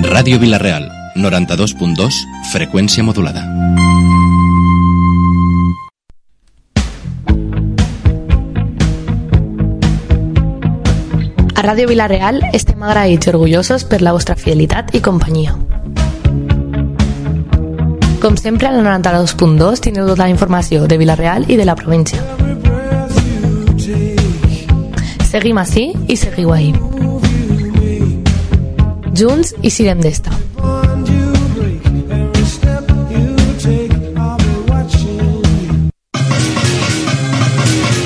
Ràdio Vila-real, 92.2, freqüència modulada. A Ràdio Vila-real estem agraïts i orgullosos per la vostra fidelitat i companyia. Com sempre, al 92.2 teniu tota la informació de Vila-real i de la província. Seguim ací i seguiu ahí. Junts i sirem d'esta.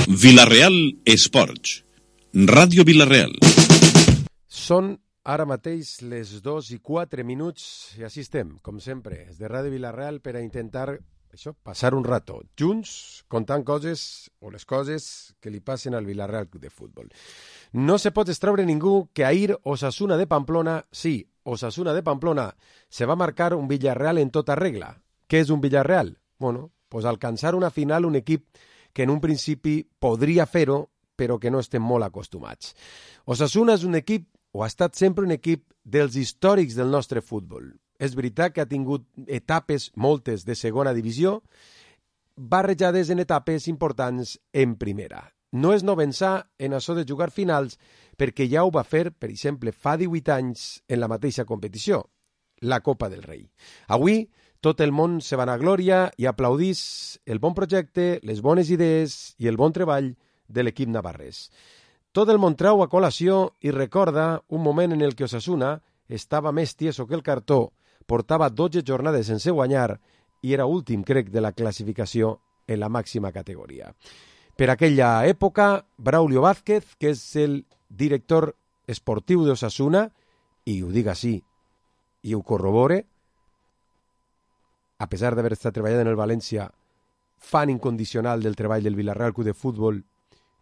Vila-real Esports. Ràdio Vila-real. Són ara mateix les 2:04 i així estem, com sempre, des de Ràdio Vila-real per a intentar passar un rato junts, contant coses o les coses que li passen al Vila-real Club de Futbol. No se pot extraure ningú que ahir Osasuna de Pamplona, sí, Osasuna de Pamplona, se va marcar un Villarreal en tota regla. Què és un Villarreal? Bueno, pues alcançar una final un equip que en un principi podria fer-ho, però que no estem molt acostumats. Osasuna és un equip, o ha estat sempre un equip, dels històrics del nostre futbol. És veritat que ha tingut etapes, moltes, de segona divisió, barrejades en etapes importants en primera. No és novençar en això de jugar finals, perquè ja ho va fer, per exemple, fa 18 anys en la mateixa competició, la Copa del Rei. Avui, tot el món se vanagloria i aplaudís el bon projecte, les bones idees i el bon treball de l'equip navarrès. Tot el món trau a col·lació i recorda un moment en el que Osasuna estava més tieso que el cartó, portava 12 jornades sense guanyar i era últim, crec, de la classificació en la màxima categoria. Per aquella època, Braulio Vázquez, que és el director esportiu d'Osasuna, i ho dic així, i ho corrobore, a pesar d'haver estat treballant en el València, fan incondicional del treball del Villarreal Club de Futbol.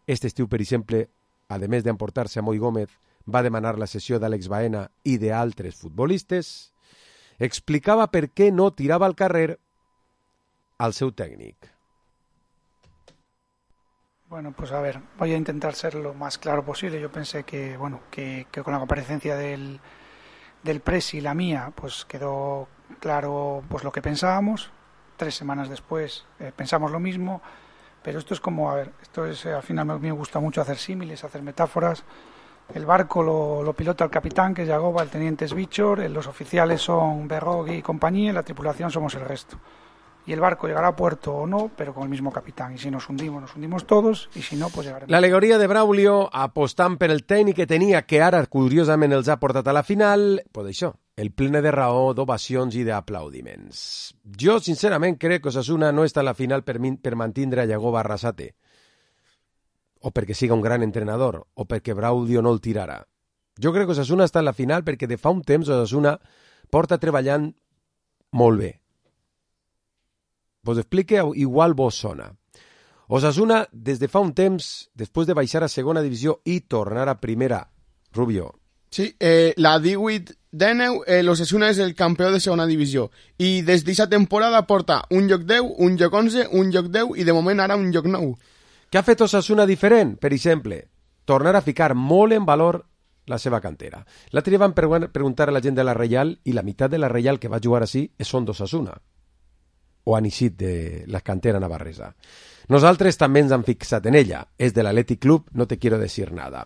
Este estiu, per exemple, a més d'emportar-se a Moi Gómez, va demanar la cessió d'Àlex Baena i d'altres futbolistes. Explicava per què no tirava al carrer al seu tècnic. Bueno, pues a ver, voy a intentar ser lo más claro posible. Yo pensé que con la comparecencia del Presi y la mía, pues quedó claro pues lo que pensábamos. 3 semanas después pensamos lo mismo, pero esto es como, al final me gusta mucho hacer símiles, hacer metáforas. El barco lo pilota el capitán, que es Yagoba, el teniente es Bichor, los oficiales son Berrogui y compañía, y la tripulación somos el resto. Y el barco llegará a puerto o no, pero con el mismo capitán. Y si nos hundimos todos, y si no, pues llegaremos. L'alegoria de Braulio apostant per el tècnic que tenia, que ara curiosament els ha portat a la final, pues això, el plene de raó, d'ovacions i d'aplaudiments. Jo, sincerament, crec que Osasuna no està a la final per mantindre a Yagoba Arrasate, o perquè siga un gran entrenador, o perquè Braulio no el tirarà. Jo crec que Osasuna està a la final perquè de fa un temps Osasuna porta treballant molt bé. Vos explique, igual vos sona. Osasuna, des de fa un temps, després de baixar a segona divisió i tornar a primera, Rubio. Sí, la 18-19, l'Osasuna és el campió de segona divisió i des d'aquesta temporada porta un lloc 10, un lloc 11, un lloc 10 i de moment ara un lloc 9. Què ha fet Osasuna diferent? Per exemple, tornar a ficar molt en valor la seva cantera. L'altre dia van preguntar a la gent de la Reial i la meitat de la Reial que va jugar així són d'Osasuna, o han eixit de la cantera navarresa. Nosaltres també ens hem fixat en ella. És de l'Athletic Club, no te quiero decir nada.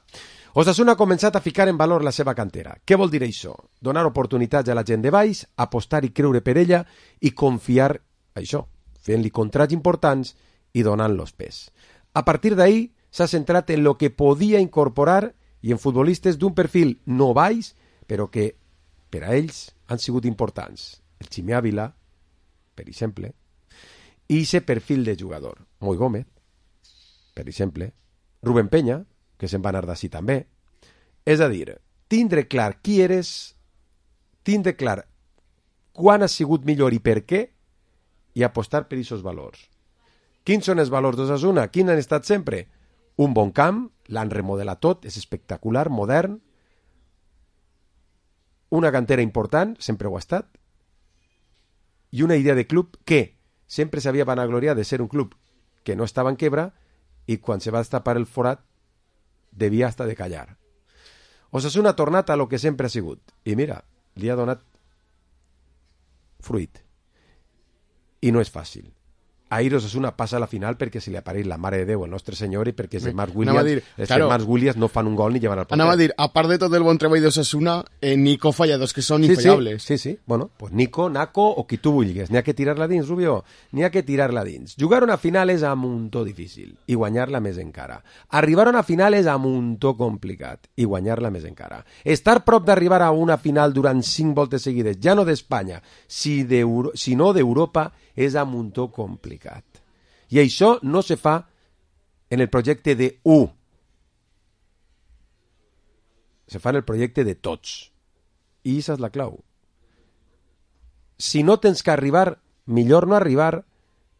Osasuna ha començat a ficar en valor la seva cantera. Què vol dir això? Donar oportunitats a la gent de baix, apostar i creure per ella i confiar, això, fent-li contrats importants i donant-los pes. A partir d'ahir s'ha centrat en lo que podia incorporar i en futbolistes d'un perfil no baix, però que per a ells han sigut importants. El Ximi Ávila, per exemple, i aquest perfil de jugador. Moi Gómez, per exemple, Rubén Peña, que se'n va anar d'ací també. És a dir, tindre clar qui eres, tindre clar quan has sigut millor i per què, i apostar per aquests valors. Quins són els valors d'Osasuna? Quins han estat sempre? Un bon camp, l'han remodelat tot, és espectacular, modern, una cantera important, sempre ho ha estat, i una idea de club que sempre s'havia vanagloriat de ser un club que no estava en quebra i quan se va destapar el forat devia estar de callar. Osasuna ha tornat a lo que sempre ha sigut. I mira, li ha donat fruit. I no és fàcil. Ahir Osasuna passa a la final perquè se li apareix la Mare de Déu, el nostre senyor, i perquè els germans Williams no fan un gol ni llevan al porter. Anava a dir, a part de tot el bon treball d'Osasuna, Nico falla dos que són infallables. Sí. Bueno, pues Nico, Naco o qui tu vulguis. N'hi ha que tirar-la dins, Rubio. N'hi ha que tirar-la dins. Jugar una final és a muntó difícil i guanyar-la més encara. Arribar a una final és a muntó complicat i guanyar-la més encara. Estar prop d'arribar a una final durant 5 voltes seguides, ja no d'Espanya, sinó d'Europa, és a muntó complicat. I això no se fa en el projecte de U. Se fa en el projecte de tots. I aquesta és la clau. Si no tens que arribar, millor no arribar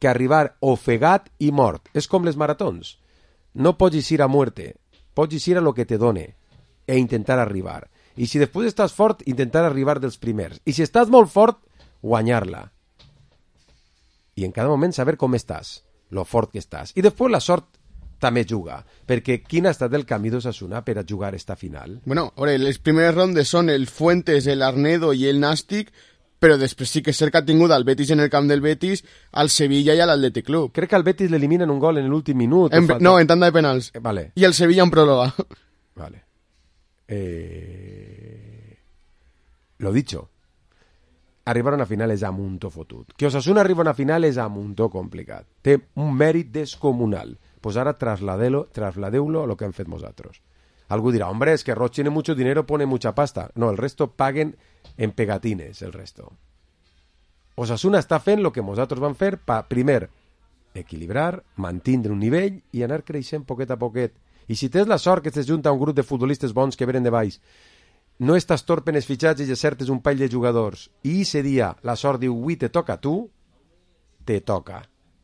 que arribar ofegat i mort. És com les maratons. No pots ir a muerte, pots ir a lo que te done e intentar arribar. I si després estàs fort, intentar arribar dels primers. I si estàs molt fort, guanyar-la. I en cada moment saber com estàs, lo fort que estàs. I després la sort també juga, perquè quin ha estat el camí d'Osasuna per a jugar esta final? Bueno, ahora, les primeres rondes són el Fuentes, el Arnedo i el Nàstic, però després sí que és cert que ha tingut el Betis en el camp del Betis, al Sevilla i a l'Athletic Club. Crec que al Betis l'eliminen un gol en l'últim minut. No, en tanda de penals. Vale. I el Sevilla en pròrroga. Vale. Lo dicho. Arribar a una final és a muntó fotut. Que Osasuna arriba a una final és a muntó complicat. Té un mèrit descomunal. Pues ara trasladeu-lo a lo que han fet nosaltres. Algú dirà, hombre, es que Roche tiene mucho dinero, pone mucha pasta. No, el resto paguen en pegatines, el resto. Osasuna està fent el que nosaltres vam fer per, primer, equilibrar, mantindre un nivell i anar creixent poquet a poquet. I si tens la sort que estàs junt a un grup de futbolistes bons que venen de baix, no estàs torpe en els fitxatges i acertes un parell de jugadors, i ese dia la sort diu, ui, te toca a tu, te toca.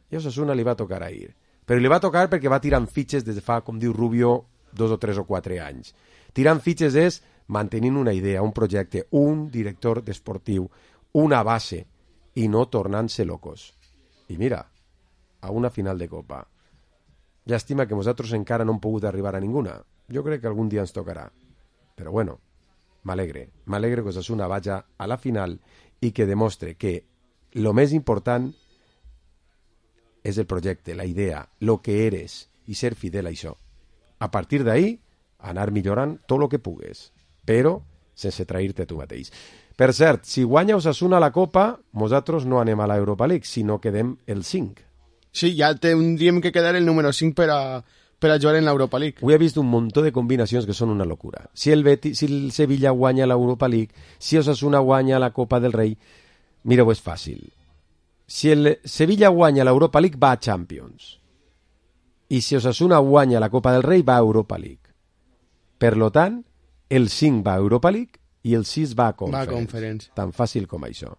I a Osasuna li va tocar ahir. Però li va tocar perquè va tirant fitxes des de fa, com diu Rubio, 2 o 3 o 4 anys. Tirant fitxes és mantenint una idea, un projecte, un director esportiu, una base, i no tornant-se locos. I mira, a una final de Copa. Llàstima que nosaltres encara no hem pogut arribar a ninguna. Jo crec que algun dia ens tocarà. Però bueno, m'alegre que Osasuna vagi a la final i que demostre que lo més important és el projecte, la idea, lo que eres i ser fidel a això. A partir d'ahí, anar millorant tot el que pugues, però sense trair-te tu mateix. Per cert, si guanya Osasuna la Copa, nosaltres no anem a l'Europa League, sinó quedem el 5. Sí, ja tindríem que quedar el número 5 per a jugar en l'Europa League. Avui he vist un munt de combinacions que són una locura. Si el Sevilla guanya l'Europa League, si Osasuna guanya la Copa del Rei, mireu, és fàcil. Si el Sevilla guanya l'Europa League, va a Champions. I si Osasuna guanya la Copa del Rei, va a Europa League. Per lo tant, el 5 va a Europa League i el 6 va a Conference. Tan fàcil com això.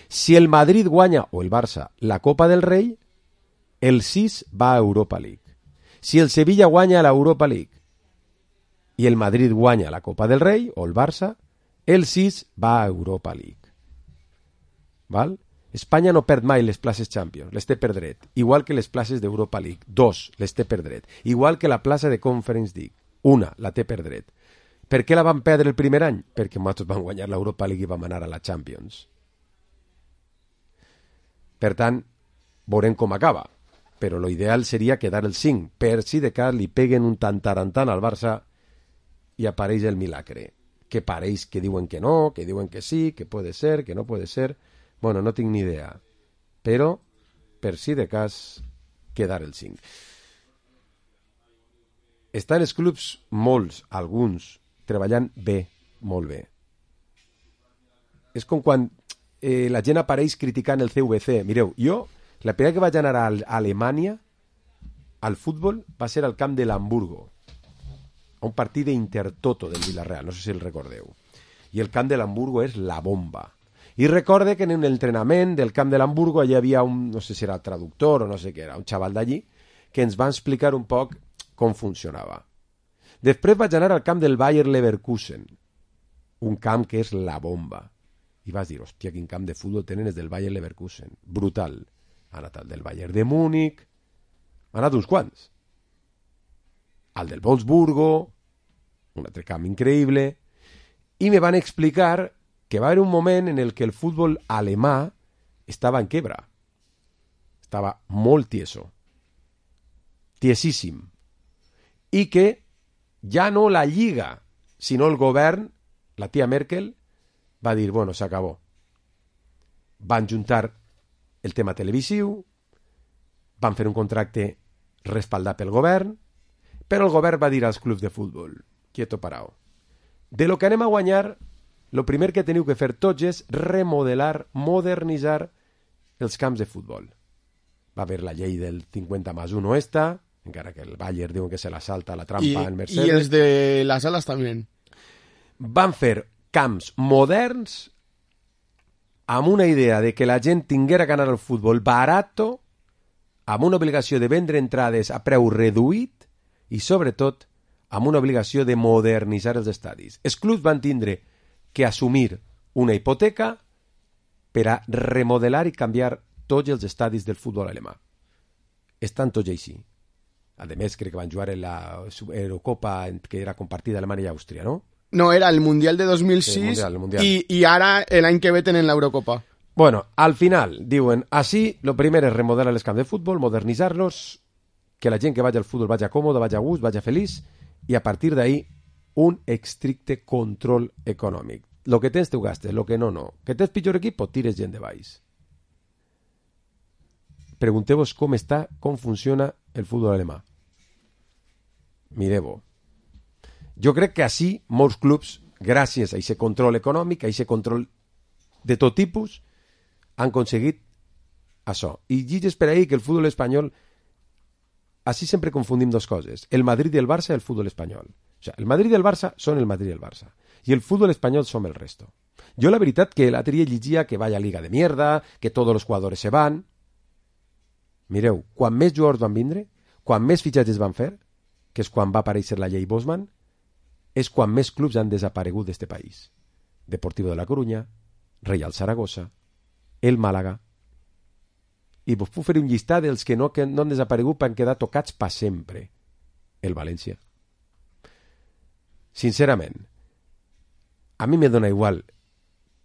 Si el Madrid guanya, o el Barça, la Copa del Rei, el 6 va a Europa League. Si el Sevilla guanya l'Europa League i el Madrid guanya la Copa del Rei, o el Barça, el 6 va a Europa League. Val? Espanya no perd mai les places Champions, les té per dret. Igual que les places d'Europa League, 2 les té per dret. Igual que la plaça de Conference League, 1 la té per dret. Per què la van perdre el primer any? Perquè nosaltres vam guanyar l'Europa League i vam anar a la Champions. Per tant, veurem com acaba. Però l'ideal seria quedar el 5, per si de cas li peguen un tantarantant al Barça i apareix el milagre. Que pareix que diuen que no, que diuen que sí, que puede ser, que no puede ser. Bueno, no tinc ni idea. Però, per si de cas, quedar el 5. Estan els clubs, molts, alguns, treballant bé, molt bé. És com quan la gent apareix criticant el CVC. Mireu, jo, la primera que vaig anar a Alemanya, al futbol, va ser al camp de l'Hamburgo, a un partit d'Intertoto del Villarreal, no sé si el recordeu. I el camp de l'Hamburgo és la bomba. I recorde que en l'entrenament del camp de l'Hamburgo hi havia un, no sé si era traductor o no sé què era, un xaval d'allí, que ens va explicar un poc com funcionava. Després vaig anar al camp del Bayer Leverkusen, un camp que és la bomba. I vas dir, hòstia, quin camp de futbol tenen els del Bayer Leverkusen. Brutal. Ha anat al del Bayern de Múnich, ha anat uns quants. Al del Wolfsburgo, un altre camp increïble, i me van explicar que va haver un moment en el que el futbol alemà estava en quebra. Estava molt tieso. Tiesíssim. I que ja no la Lliga, sinó el govern, la tia Merkel, va dir, bueno, s'acabó. Van juntar el tema televisiu, van fer un contracte respaldat pel govern, però el govern va dir als clubs de futbol, quieto parao. De lo que anem a guanyar, lo primer que teniu que fer tots és remodelar, modernitzar els camps de futbol. Va haver la llei del 50+1 esta, encara que el Bayern diuen que se la salta la trampa en Mercedes. Y els de las alas también. Van fer camps moderns amb una idea de que la gent tinguera que anar al futbol barato, amb una obligació de vendre entrades a preu reduït i, sobretot, amb una obligació de modernitzar els estadis. Els clubs van tindre que assumir una hipoteca per a remodelar i canviar tots els estadis del futbol alemà. Estan tots així. A més, crec que van jugar en la Eurocopa que era compartida Alemanya i Àustria, ¿no? No, era el Mundial de 2006 el Mundial. Y ahora el año que veten en la Eurocopa. Bueno, al final, diuen, así, lo primer és remodelar els camps de futbol, modernitzar-los, que la gent que vagi al futbol vagi còmoda, vagi a gust, vagi feliç, i a partir d'ahí, un estricte control econòmic. Lo que tens, t'ho gastes, lo que no, no. Que tens pitjor equip, tires gent de baix. Pregunteu-vos com està, com funciona el futbol alemà. Mireu-ho. Jo crec que així molts clubs, gràcies a aquest control econòmic, a aquest control de tot tipus, han aconseguit això. I lligues per ahí que el futbol espanyol, així sempre confundim dues coses, el Madrid i el Barça i el futbol espanyol. O sea, el Madrid i el Barça són el Madrid i el Barça, i el futbol espanyol som el resto. Jo la veritat que l'altre dia llegia que vaya liga de mierda, que tots els jugadors se van. Mireu, quan més jugadors van vindre, quan més fitxatges van fer, que és quan va aparèixer la llei Bosman, és quan més clubs han desaparegut d'este país. Deportivo de la Coruña, Real Zaragoza, el Màlaga. I vos puc fer un llistat dels que no han desaparegut per han quedat tocats per sempre. El València. Sincerament, a mi me dona igual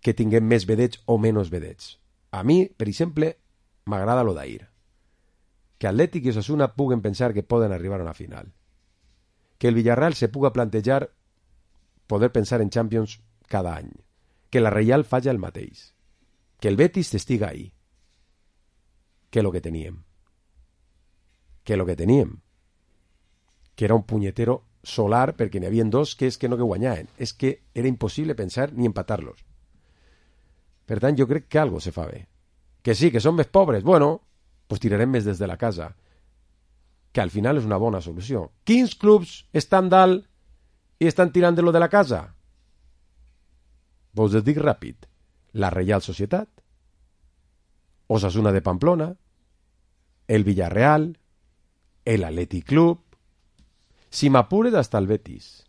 que tinguem més vedets o menys vedets. A mi, per exemple, m'agrada lo d'ahir. Que Atlètic i Osasuna puguen pensar que poden arribar a una final. Que el Villarreal se puga plantejar poder pensar en Champions cada any. Que la Reial falla el mateix. Que el Betis estiga ahí. Que lo que teníem. Que lo que teníem. Que era un punyetero solar perquè n'hi havia dos que és que no que guanyaven. És que era impossible pensar ni empatar-los. Per tant, jo crec que algo se fa bé. Que sí, que són més pobres. Bueno, pues tirarem més des de la casa. Que al final és una bona solució. Quins clubs estan dalt i estan tirant de lo de la casa? Vos dic ràpid. La Reial Societat, Osasuna de Pamplona, el Villarreal, el Athletic Club, si m'apures hasta el Betis.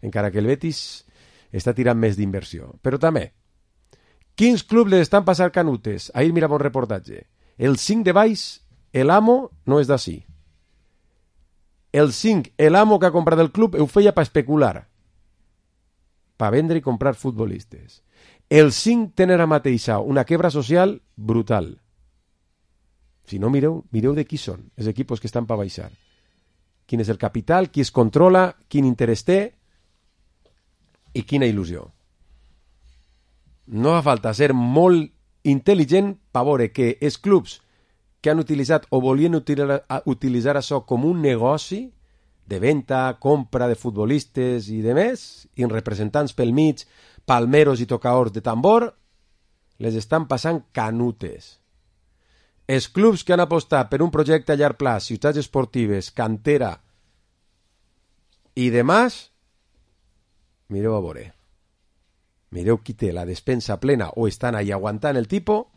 Encara que el Betis està tirant més d'inversió. Però també, quins clubs les estan passant canutes? Ahir mirava un reportatge. El 5 de baix, el amo no és d'ací. El 5, el amo que ha comprat el club, ho feia per especular. Per vendre i comprar futbolistes. El 5 tenen ara mateixa una quebra social brutal. Si no, mireu de qui són els equipos que estan per baixar. Quin és el capital, qui es controla, quin interès té i quina il·lusió. No fa falta ser molt intel·ligent per veure que els clubs que han utilitzat o volien utilitzar això com un negoci de venda, compra de futbolistes i de més, i representants pel mig, palmeros i tocadors de tambor, les estan passant canutes. Els clubs que han apostat per un projecte a llarg plaç, ciutats esportives, cantera i demás, mireu a veure. Mireu qui té la despensa plena o estan ahí aguantant el tipus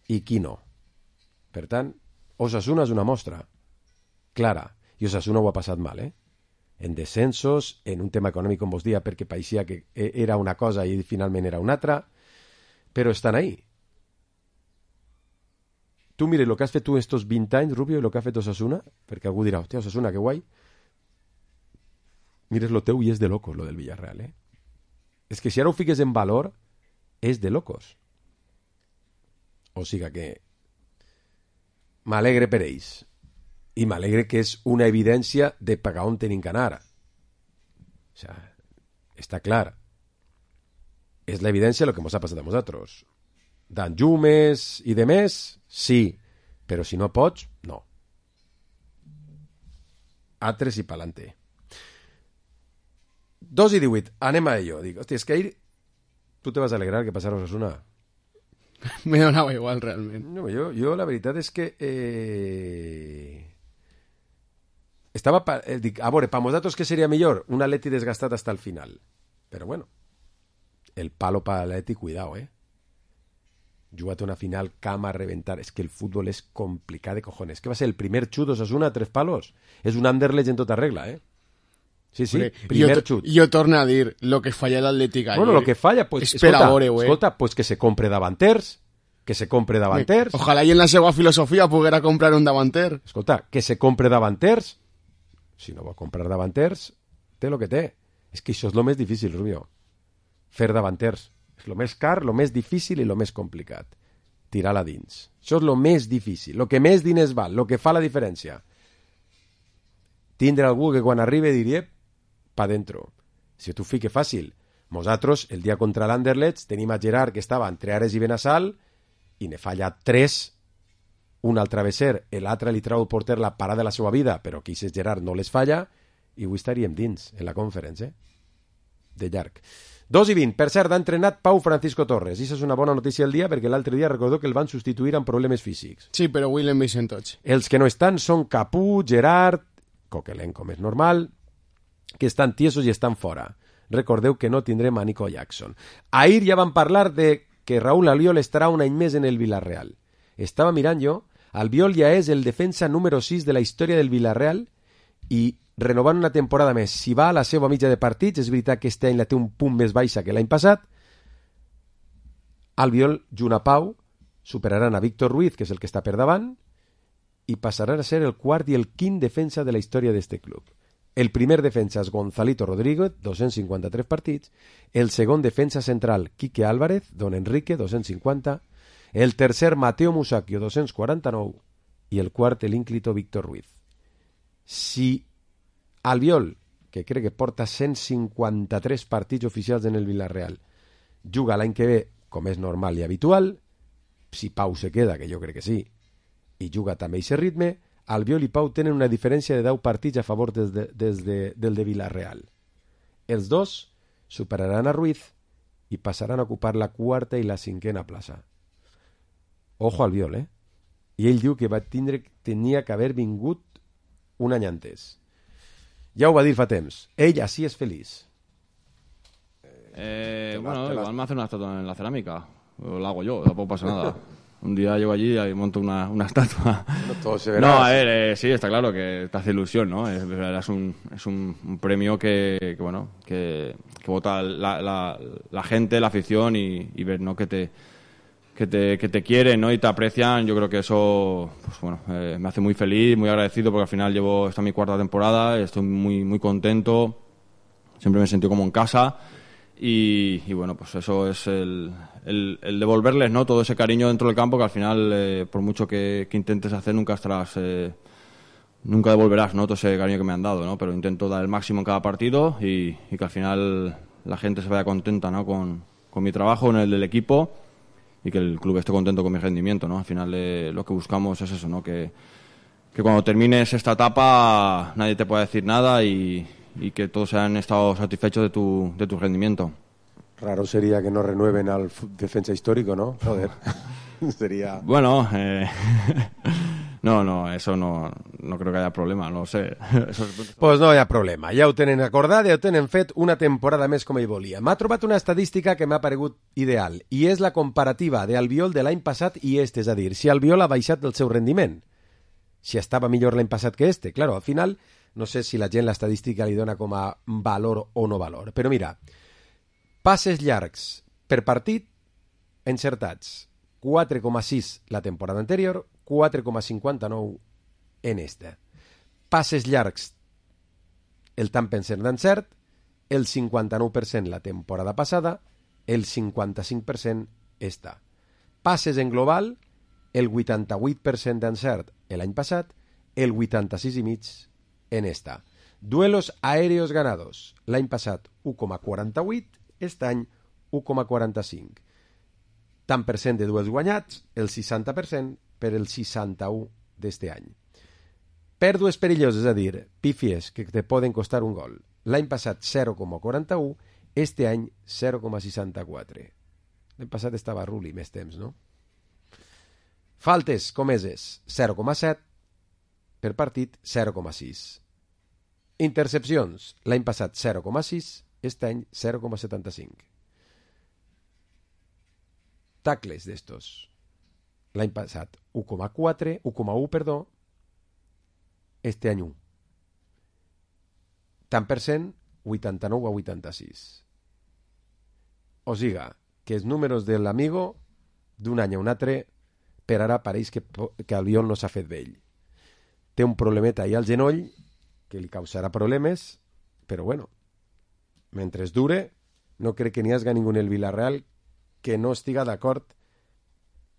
i qui no. Per tant, Osasuna és una mostra clara. I Osasuna ho ha passat mal, en descensos, en un tema econòmic, com vos dia, perquè pareixia que era una cosa i finalment era una altra, però estan ahí. Tu mires el que has fet tu estos 20 anys, Rubio, i el que ha fet Osasuna, perquè algú dirà, hòstia, Osasuna, que guai. Mires lo teu i és de locos, lo del Villarreal, És que si ara ho fiques en valor, és de locos. O sigui que m'alegre per ells. I m'alegre que és una evidència de pagar on tenim que anar. O sea, està clar. És l'evidència el que ens ha passat a nosaltres. Dan llumes i de més, sí. Però si no pots, no. Altres i pa'lante. 2:18. Anem a ello. Dic, hòstia, és que ahir tu te vas alegrar que passara Osasuna. Me donava igual, realment. No, jo la veritat és que estava dic, a veure, per nosaltres què seria millor? Un Atleti desgastat hasta el final. Però bueno, el palo per l'Atleti, cuidao, Juga't una final, cama a reventar. És que el futbol és complicat de cojones. Que va ser el primer xut d'Osasuna a 3 palos. És un Anderlecht en tota regla, Sí, primer xut. Jo torno a dir, lo que falla l'Atlètic ayer... Bueno, lo que falla, pues, escolta, pues que se compre davanters, Ojalà i en la seva filosofia poguera comprar un davanter. Escolta, que se compre davanters. Si no vol comprar davanters, té lo que té. És que això és lo més difícil, Rubio. Fer davanters. És lo més car, lo més difícil i lo més complicat. Tirar-la dins. Això és lo més difícil. Lo que més diners val, lo que fa la diferència. Tindre algú que quan arribi diria pa dentro. Si tu fique fàcil. Nosaltres, el dia contra l'Anderlecht, tenim a Gerard que estava entre Ares i Benassal i ne falla 3, un al travesser, l'altre li trau el porter la parada de la seva vida, però que aquest Gerard no les falla, i avui estaríem dins, en la conferència, de llarg. 2:20. Per cert, ha entrenat Pau Francisco Torres, i això és una bona notícia del dia, perquè l'altre dia recordó que el van substituir amb problemes físics. Sí, però avui l'hem vist en tots. Els que no estan són Capú, Gerard, Coquelenco més normal, que estan tiesos i estan fora. Recordeu que no tindrem a Nico Jackson. Ahir ja vam parlar de que Raúl Albiol estarà un any més en el Villarreal. Estava mirant jo, Albiol ja és el defensa número 6 de la història del Villarreal i renovant una temporada més. Si va a la seva mitja de partits, és veritat que este any la té un punt més baixa que l'any passat, Albiol, junt a Pau, superaran a Víctor Ruiz, que és el que està per davant, i passaran a ser el quart i el quint defensa de la història d'este club. El primer defensa és Gonzalito Rodríguez, 253 partits. El segon defensa central, Quique Álvarez, Don Enrique, 250. El tercer, Mateo Musacchio, 249. I el quart, l'ínclito Víctor Ruiz. Si Albiol, que crec que porta 153 partits oficials en el Villarreal, juga l'any que ve, com és normal i habitual, si Pau se queda, que jo crec que sí, i juga també a aquest ritme, Albiol i Pau tenen una diferència de 10 partits a favor del de Villarreal. Els dos superaran a Ruiz i passaran a ocupar la quarta i la cinquena plaça. Ojo al Albiol, I ell diu que tenia que haver vingut un any antes. Ja ho va dir fa temps. Ell així és feliç. Bueno, igual me hace una estatua en la cerámica. O la hago yo, tampoco pasa nada. Un día llego allí y monto una estatua. No, todo se verá. No, a ver, sí, está claro que te hace ilusión, ¿no? Es un premio que vota la gente, la afición y ver, ¿no? Que te quieren, ¿no? Y te aprecian. Yo creo que eso, pues bueno, me hace muy feliz, muy agradecido, porque al final esta es mi cuarta temporada, estoy muy, muy contento. Siempre me he sentido como en casa. Y bueno, pues eso es el devolverles, ¿no? Todo ese cariño dentro del campo, que al final, por mucho que intentes hacer, nunca devolverás, ¿no? Todo ese cariño que me han dado, ¿no? Pero intento dar el máximo en cada partido y que al final la gente se vaya contenta, ¿no? Con mi trabajo, en el del equipo, y que el club esté contento con mi rendimiento, ¿no? Al final lo que buscamos es eso, ¿no? Que cuando termines esta etapa nadie te pueda decir nada y que todos hayan estado satisfechos de tu rendimiento. Raro sería que no renueven al defensa histórico, ¿no? Joder. Sería... Bueno, no, eso no creo que haya problema, no sé. Pues no hi ha problema. Ja ho tenen acordat, ja ho tenen fet una temporada més com ell volia. M'ha trobat una estadística que m'ha paregut ideal, i és la comparativa d'Albiol de l'any passat i este, és a dir, si Albiol ha baixat el seu rendiment. Si estava millor l'any passat que este. Claro, al final... No sé si la gent l'estadística li dona com a valor o no valor. Però mira, passes llargs per partit encertats. 4,6 la temporada anterior, 4,59 en esta. Passes llargs, el tant per cent d'encert, el 59% la temporada passada, el 55% està. Passes en global, el 88% d'encert l'any passat, el 86,5% en esta. Duelos aéreos ganados, l'any passat 1,48, aquest any 1,45. Tant per cent de duels guanyats, el 60% per el 61 d'este any. Pèrdues perilloses, és a dir, pífies que te poden costar un gol. L'any passat 0,41, este any 0,64. L'any passat estava Rulli més temps, no? Faltes comeses, 0,7, per partit 0,6. Intercepcions, l'any passat 0,6, este any 0,75. Tacles d'estos, l'any passat 1,1, perdó, este any 1. Tant per cent, 89 a 86. O siga, que els números de l'amigo d'un any a un altre per ara pareix que Albiol no s'ha fet vell. Té un problemeta ahí al genoll que li causarà problemes, però bueno, mentre dure, no crec que n'hi hagi ningú en el Villarreal que no estiga d'acord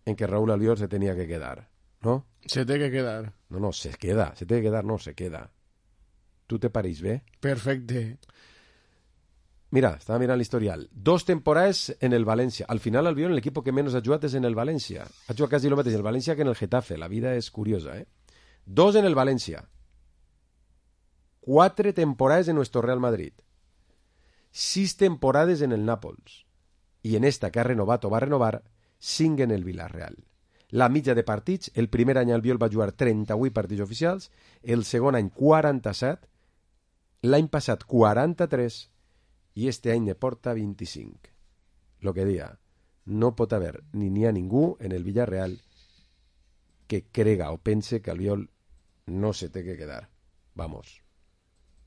en que Raúl Albiol se tenia que quedar, ¿no? Se té que quedar. No, se queda. Se té que quedar, no, se queda. Tu te pareix bé? Perfecte. Mira, estaba mirando el historial. 2 temporadas en el Valencia. Al final, Albiol, el equipo que menos ha jugado es en el Valencia. Ha jugado casi lo metes en el Valencia que en el Getafe. La vida es curiosa, ¿eh? 2 en el Valencia. 4 temporadas en nuestro Real Madrid. 6 temporadas en el Nàpols. Y en esta que ha renovat o va renovar, 5 en el Villarreal. La mitja de partits, el primer any Albiol va jugar 38 partits oficials, el segon any 47, l'any passat 43 i este any ne porta 25. Lo que dia, no pot haver ni n'hi ha ningú en el Villarreal que crega o pense que Albiol no se té que quedar. Vamos.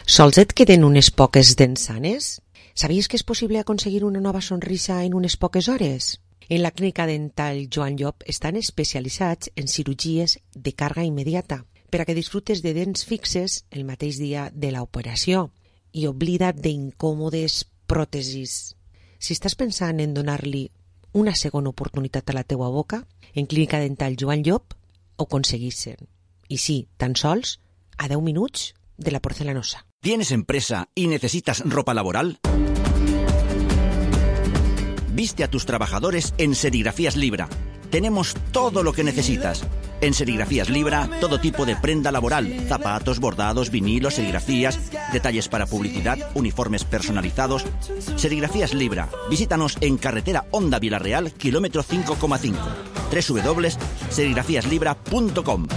Sols et queden unes poques dents sanes? Sabies que és possible aconseguir una nova sonrisa en unes poques hores? En la clínica dental Joan Llop estan especialitzats en cirurgies de càrrega immediata per a que disfrutes de dents fixes el mateix dia de l'operació i oblida't d'incòmodes pròtesis. Si estàs pensant en donar-li una segona oportunitat a la teua boca, en clínica dental Joan Llop ho aconseguissin. I sí, tan sols a 10 minuts de la porcelanosa. ¿Tienes empresa y necesitas ropa laboral? Viste a tus trabajadores en Serigrafías Libra. Tenemos todo lo que necesitas. En Serigrafías Libra, todo tipo de prenda laboral, zapatos, bordados, vinilos, serigrafías, detalles para publicidad, uniformes personalizados. Serigrafías Libra. Visítanos en carretera Honda Villarreal, kilómetro 5,5. www.serigrafíaslibra.com.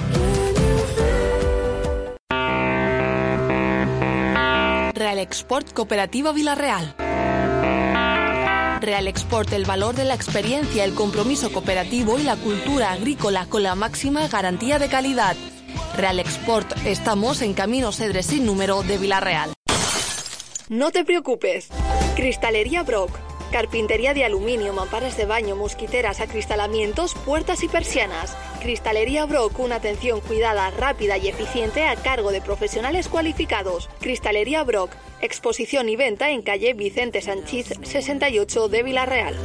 Real Export Cooperativa Villarreal. Real Export, el valor de la experiencia, el compromiso cooperativo y la cultura agrícola con la máxima garantía de calidad. Real Export, estamos en Camino Cedres sin número de Villarreal. No te preocupes. Cristalería Brock. Carpintería de aluminio, mamparas de baño, mosquiteras, acristalamientos, puertas y persianas. Cristalería Brock, una atención cuidada, rápida y eficiente a cargo de profesionales cualificados. Cristalería Brock, exposición y venta en calle Vicente Sanchís 68 de Villarreal.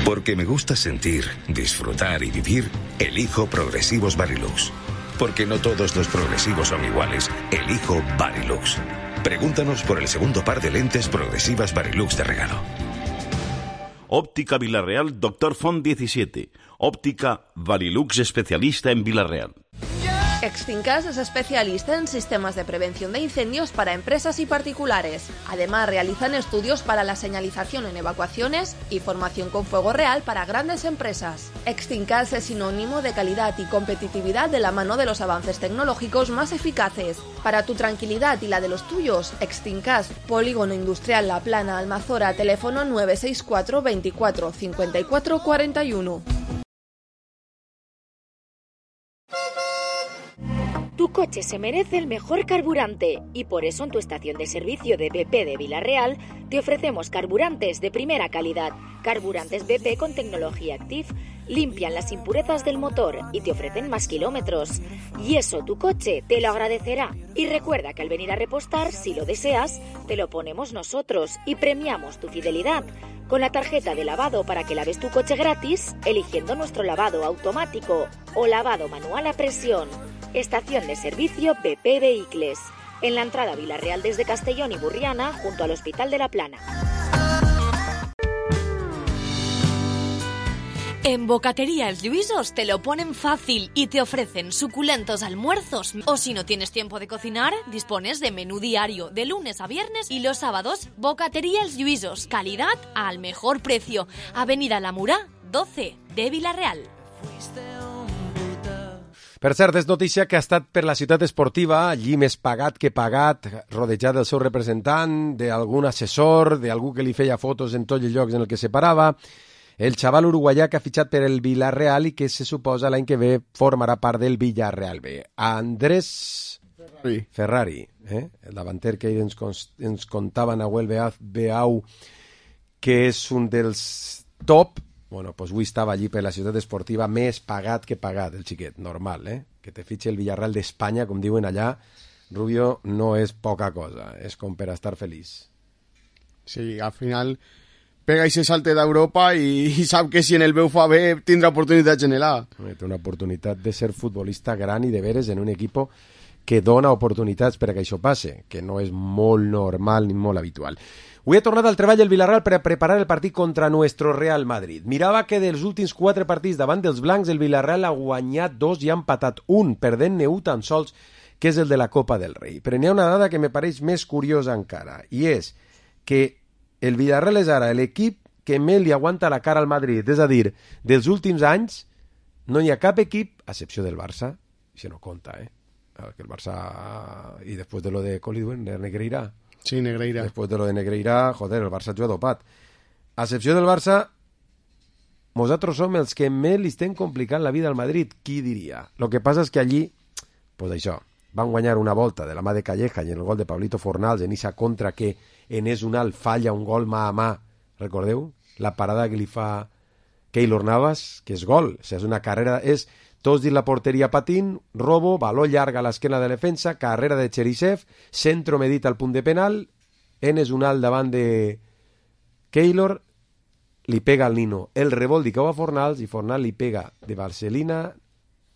Porque me gusta sentir, disfrutar y vivir, elijo Progresivos Varilux. Porque no todos los progresivos son iguales, elijo Varilux. Pregúntanos por el segundo par de lentes progresivas Varilux de regalo. Óptica Villarreal, Dr. Font 17. Óptica Varilux, especialista en Villarreal. Extincas es especialista en sistemas de prevención de incendios para empresas y particulares. Además, realizan estudios para la señalización en evacuaciones y formación con fuego real para grandes empresas. Extincas es sinónimo de calidad y competitividad de la mano de los avances tecnológicos más eficaces. Para tu tranquilidad y la de los tuyos, Extincas, Polígono Industrial La Plana, Almazora, teléfono 964 24 54 41. Tu coche se merece el mejor carburante y por eso en tu estación de servicio de BP de Vila-real te ofrecemos carburantes de primera calidad. Carburantes BP con tecnología Active limpian las impurezas del motor y te ofrecen más kilómetros. Y eso tu coche te lo agradecerá. Y recuerda que al venir a repostar, si lo deseas, te lo ponemos nosotros y premiamos tu fidelidad con la tarjeta de lavado para que laves tu coche gratis, eligiendo nuestro lavado automático o lavado manual a presión. Estación de servicio BP Vehicles, en la entrada a Vila-real desde Castellón y Burriana, junto al Hospital de la Plana. En Bocatería Els Lluïsos te lo ponen fácil y te ofrecen suculentos almuerzos. O si no tienes tiempo de cocinar, dispones de menú diario de lunes a viernes y los sábados. Bocatería Els Lluïsos, calidad al mejor precio. Avenida La Murà, 12 de Vila-real. Per cert, és notícia que ha estat per la ciutat esportiva, allí més pagat que pagat, rodejat del seu representant, d'algun assessor, d'algú que li feia fotos en tots els llocs en el que se parava. El xaval uruguaià que ha fitxat per el Villarreal i que se suposa l'any que ve formarà part del Villarreal B. Andrés Ferrari, el davanter que ens contava Nahuel Beau, que és un dels top. Bueno, doncs avui estava allí per la ciutat esportiva, més pagat que pagat, el xiquet, normal, que te fitxe el Villarreal d'Espanya, com diuen allà, Rubio, no és poca cosa, és com per estar feliç. Sí, al final pega i se salte d'Europa i sap que si en el Beu fa bé tindrà oportunitats en l'A. Té una oportunitat de ser futbolista gran i de veres en un equip que dona oportunitats per a que això passe, que no és molt normal ni molt habitual. Avui ha tornat al treball del Villarreal per a preparar el partit contra nuestro Real Madrid. Mirava que dels últims 4 partits davant dels blancs el Villarreal ha guanyat 2 i ha empatat 1, perdent-ne 1 tan sols, que és el de la Copa del Rei. Però n'hi ha una dada que me pareix més curiosa encara, i és que el Villarreal és ara l'equip que més li aguanta la cara al Madrid. És a dir, dels últims anys no hi ha cap equip, a excepció del Barça, això no compta, que el Barça, i després de lo de Coliduen, de Negreira. Sí, Negreira. Després de lo de Negreira, joder, el Barça juga dopat. A excepció del Barça, nosaltres som els que més li estem complicant la vida al Madrid, qui diria? Lo que passa és que allí, pues això, van guanyar una volta de la mà de Calleja i en el gol de Pablito Fornals en esa contra que Enes Unal falla un gol mà a mà, recordeu? La parada que li fa Keylor Navas, que és gol, o sigui, és una carrera, és tots dins la porteria patint, robo, baló llarg a l'esquena de defensa, carrera de Cherisev, centro medit al punt de penal, Enes Unal davant de Keylor, li pega al Nino el rebol di cau a Fornals i Fornals li pega de Barcelina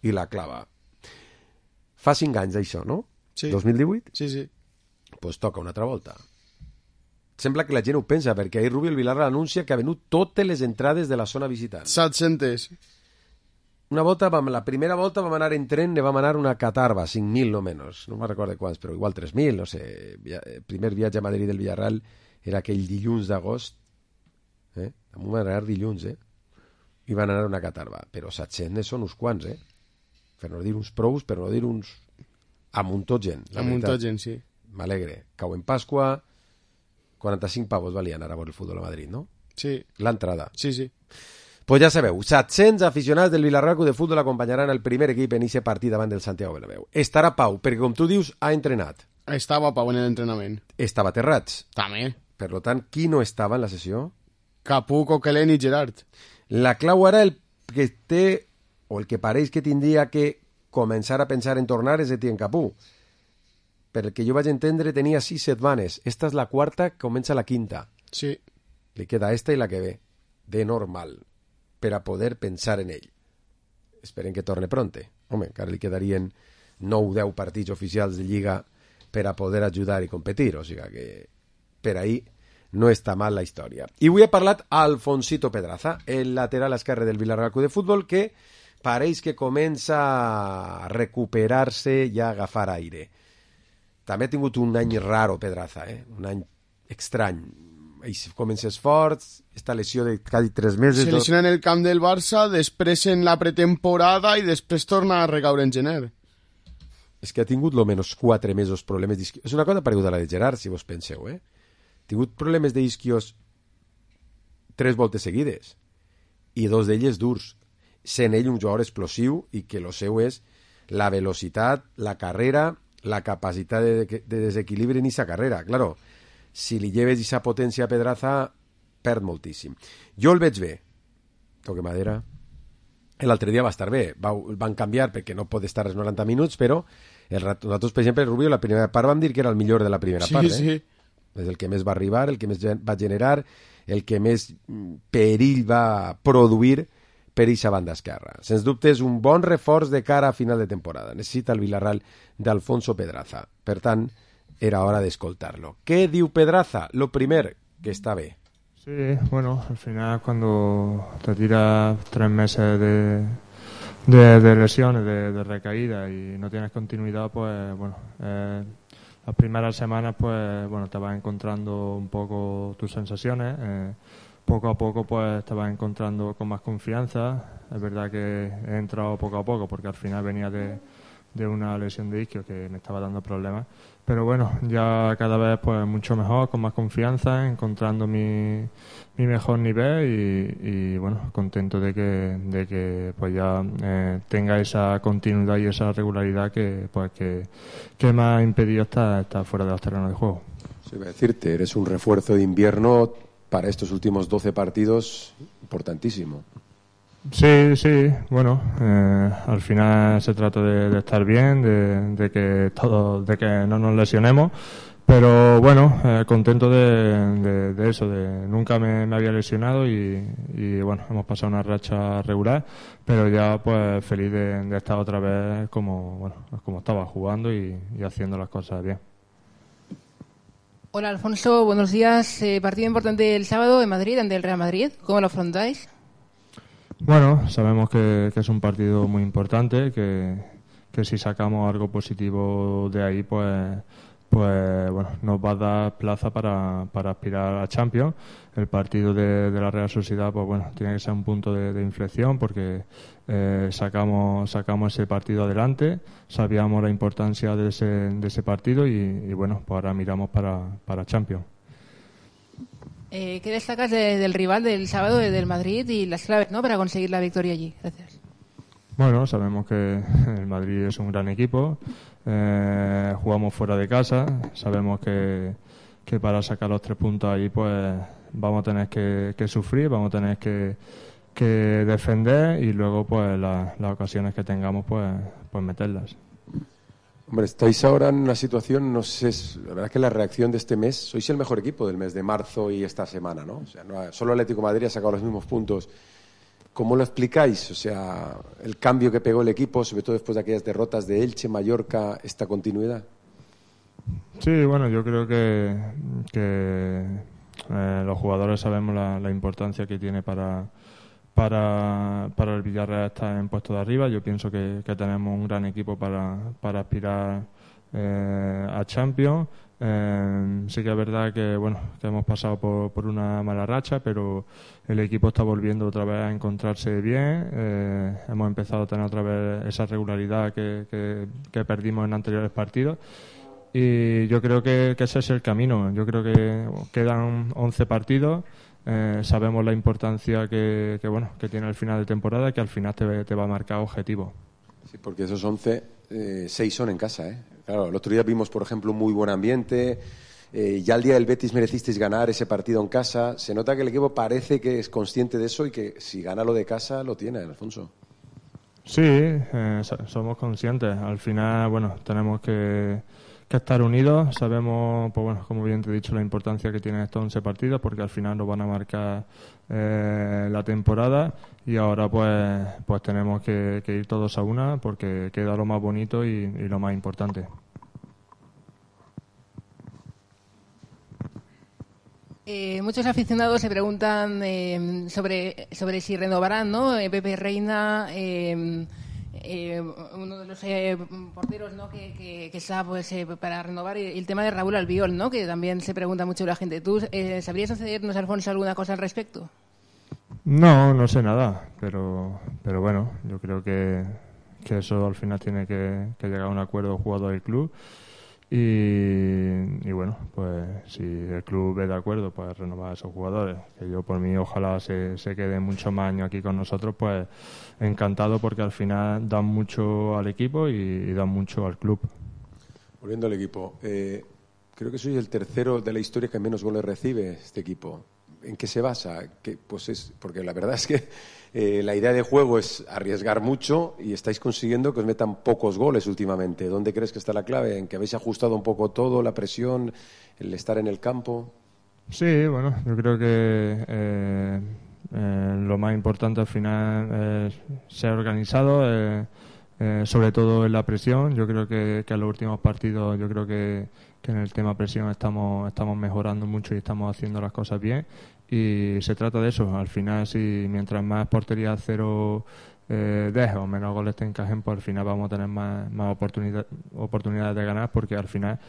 i la clava. Fa 5 anys d'això, no? Sí. 2018? Sí, sí. Pues toca una altra volta. Sembla que la gent ho pensa, perquè ahir Rubio el Villarreal anuncia que ha venut totes les entrades de la zona visitant. 700. Una volta, la primera volta vam anar en tren, ne vam anar una catarba, 5.000 no menys, no me'n recordo quants, però igual 3.000, no sé. El primer viatge a Madrid del Villarreal era aquell dilluns d'agost, vam anar dilluns, i van anar una catarba, però 700 són uns quants, per no dir uns prous, per no dir uns... Amuntó gent, la veritat. Amuntó gent, sí. M'alegre. Cau en Pasqua, 45 pavos valia anar a veure el futbol a Madrid, no? Sí. L'entrada. Sí, sí. Pues ja sabeu, 700 aficionats del Villarreal de Futbol acompanyaran el primer equip en aquest partit davant del Santiago Bernabéu. Estarà Pau, perquè com tu dius, ha entrenat. Estava Pau en l'entrenament. Estava Terrats. També. Per tant, qui no estava en la sessió? Capú, Coquelin i Gerard. La clau ara el que té, o el que pareix que tindria que començar a pensar en tornar és Etienne Capú. Per el que jo vaig entendre, tenia 6 setmanes. Esta és la quarta, comença la quinta. Sí. Li queda esta i la que ve. De normal. Per a poder pensar en ell. Esperen que torne pronte. Home, encara li quedarien 9 o 10 partits oficials de Lliga per a poder ajudar i competir. O sigui que per ahí no està mal la història. I avui he parlat a Alfonsito Pedraza, el lateral esquerre del Villarreal Club de Futbol, que pareix que comença a recuperar-se i a agafar aire. També ha tingut un any raro, Pedraza, un any estrany. Comences forts, esta lesió de quasi 3 mesos... Se lesiona en el camp del Barça, després en la pretemporada i després torna a recaure en gener. És que ha tingut lo menys 4 mesos problemes d'isquios. És una cosa pareguda a la de Gerard, si vos penseu, Ha tingut problemes d'isquios 3 voltes seguides i 2 d'elles durs. Sent ell un jugador explosiu i que lo seu és la velocitat, la carrera, la capacitat de desequilibri en aquesta carrera. Claro, si li lleves aquesta potència a Pedraza, perd moltíssim. Jo el veig bé, toque madera. L'altre dia va estar bé, van canviar perquè no pot estar els 90 minuts, però nosaltres, per exemple, Rubio, la primera part vam dir que era el millor de la primera part. Sí. És el que més va arribar, el que més va generar, el que més perill va produir per aquesta banda esquerra. Sens dubte és un bon reforç de cara a final de temporada. Necessita el Villarreal d'Alfonso Pedraza. Per tant, era hora d'escoltar-lo. Què diu Pedraza? Lo primer, que està bé. Sí, bueno, al final cuando te tiras 3 meses de lesiones, de recaída y no tienes continuidad, pues bueno, las primeras semanas pues bueno, te vas encontrando un poco tus sensaciones, poco a poco pues te vas encontrando con más confianza. Es verdad que he entrado poco a poco porque al final venía de una lesión de isquio que me estaba dando problemas, pero bueno, ya cada vez pues mucho mejor, con más confianza, encontrando mi mejor nivel y bueno, contento de que pues ya tenga esa continuidad y esa regularidad que me ha impedido estar fuera de los terrenos de juego. Sí, voy a decirte, eres un refuerzo de invierno para estos últimos 12 partidos importantísimo. Sí, bueno, al final se trata de estar bien, de que no nos lesionemos, pero bueno, contento de eso, nunca me había lesionado y bueno, hemos pasado una racha regular, pero ya pues feliz de estar otra vez como estaba jugando y haciendo las cosas bien. Hola Alfonso, buenos días. Partido importante el sábado en Madrid, ante el Real Madrid. ¿Cómo lo afrontáis? Bueno, sabemos que es un partido muy importante, que si sacamos algo positivo de ahí, pues bueno, nos va a dar plaza para aspirar a Champions. El partido de la Real Sociedad, pues bueno, tiene que ser un punto de inflexión porque sacamos ese partido adelante, sabíamos la importancia de ese partido y bueno, pues ahora miramos para Champions. ¿Qué destacas del rival del sábado, del Madrid, y las claves, ¿no?, para conseguir la victoria allí? Gracias. Bueno, sabemos que el Madrid es un gran equipo, jugamos fuera de casa, sabemos que para sacar los 3 puntos ahí pues vamos a tener que sufrir, vamos a tener que defender y luego pues las ocasiones que tengamos pues meterlas. Hombre, estáis ahora en una situación, no sé, la verdad que la reacción de este mes, sois el mejor equipo del mes de marzo y esta semana, ¿no? O sea, solo Atlético de Madrid ha sacado los mismos puntos. ¿Cómo lo explicáis? O sea, el cambio que pegó el equipo, sobre todo después de aquellas derrotas de Elche, Mallorca, esta continuidad. Sí, bueno, yo creo que los jugadores sabemos la importancia que tiene para el Villarreal estar en puesto de arriba. Yo pienso que tenemos un gran equipo para aspirar a Champions. Sí que es verdad que bueno, que hemos pasado por una mala racha, pero el equipo está volviendo otra vez a encontrarse bien. Hemos empezado a tener otra vez esa regularidad que perdimos en anteriores partidos. Y yo creo que ese es el camino. Yo creo que quedan 11 partidos. Sabemos la importancia que tiene el final de temporada, que al final te va a marcar objetivos. Sí, porque esos 11, 6 son en casa, ¿eh? Claro, el otro día vimos, por ejemplo, un muy buen ambiente. Ya el día del Betis merecisteis ganar ese partido en casa. Se nota que el equipo parece que es consciente de eso y que si gana lo de casa lo tiene, Alfonso. Sí, somos conscientes. Al final, bueno, tenemos que estar unidos. Sabemos, pues bueno, como bien te he dicho, la importancia que tienen estos 11 partidos, porque al final nos van a marcar la temporada, y ahora pues tenemos que ir todos a una, porque queda lo más bonito y lo más importante. Muchos aficionados se preguntan sobre si renovarán, ¿no? Pepe Reina, uno de los porteros, ¿no?, que está pues para renovar, y el tema de Raúl Albiol, ¿no?, que también se pregunta mucho la gente. ¿Tú sabrías concedernos, Alfonso, alguna cosa al respecto? No sé nada, pero bueno, yo creo que eso al final tiene que llegar a un acuerdo jugador del club, Y bueno, pues si el club ve de acuerdo, pues renovar a esos jugadores, que yo por mí ojalá se queden muchos más años aquí con nosotros, pues encantado, porque al final dan mucho al equipo y dan mucho al club. Volviendo al equipo, creo que soy el tercero de la historia que menos goles recibe este equipo. ¿En qué se basa? Porque la verdad es que la idea de juego es arriesgar mucho y estáis consiguiendo que os metan pocos goles últimamente. ¿Dónde crees que está la clave? ¿En que habéis ajustado un poco todo, la presión, el estar en el campo? Sí, bueno, yo creo que lo más importante al final es ser organizado, sobre todo en la presión. Yo creo que en los últimos partidos, yo creo que en el tema presión estamos mejorando mucho y estamos haciendo las cosas bien, y se trata de eso. Al final, si mientras más portería cero dejes o menos goles te encajen, pues al final vamos a tener más oportunidades de ganar, porque al final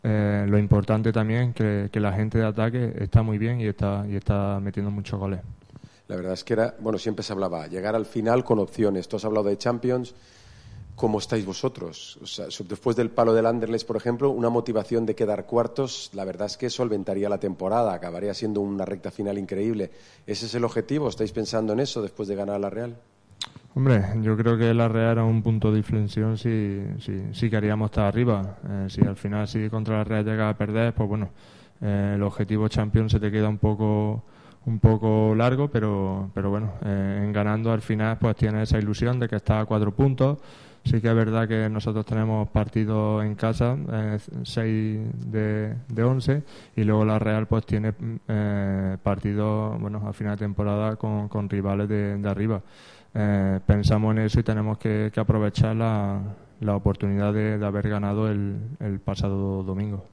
lo importante también es que la gente de ataque está muy bien y está metiendo muchos goles. La verdad es que siempre se hablaba llegar al final con opciones. Tú has hablado de Champions. ¿Cómo estáis vosotros? O sea, después del palo del Anderlecht, por ejemplo, una motivación de quedar cuartos, la verdad es que solventaría la temporada, acabaría siendo una recta final increíble. ¿Ese es el objetivo? ¿Estáis pensando en eso después de ganar a la Real? Hombre, yo creo que la Real era un punto de inflexión si queríamos estar arriba. Si al final, si contra la Real llega a perder, pues bueno, el objetivo Champions se te queda un poco largo, pero bueno, en ganando al final pues tienes esa ilusión de que estás a 4 puntos. Sí que es verdad que nosotros tenemos partidos en casa, 6 de 11, y luego la Real pues tiene partidos, a final de temporada con rivales de arriba. Pensamos en eso y tenemos que aprovechar la oportunidad de haber ganado el pasado domingo.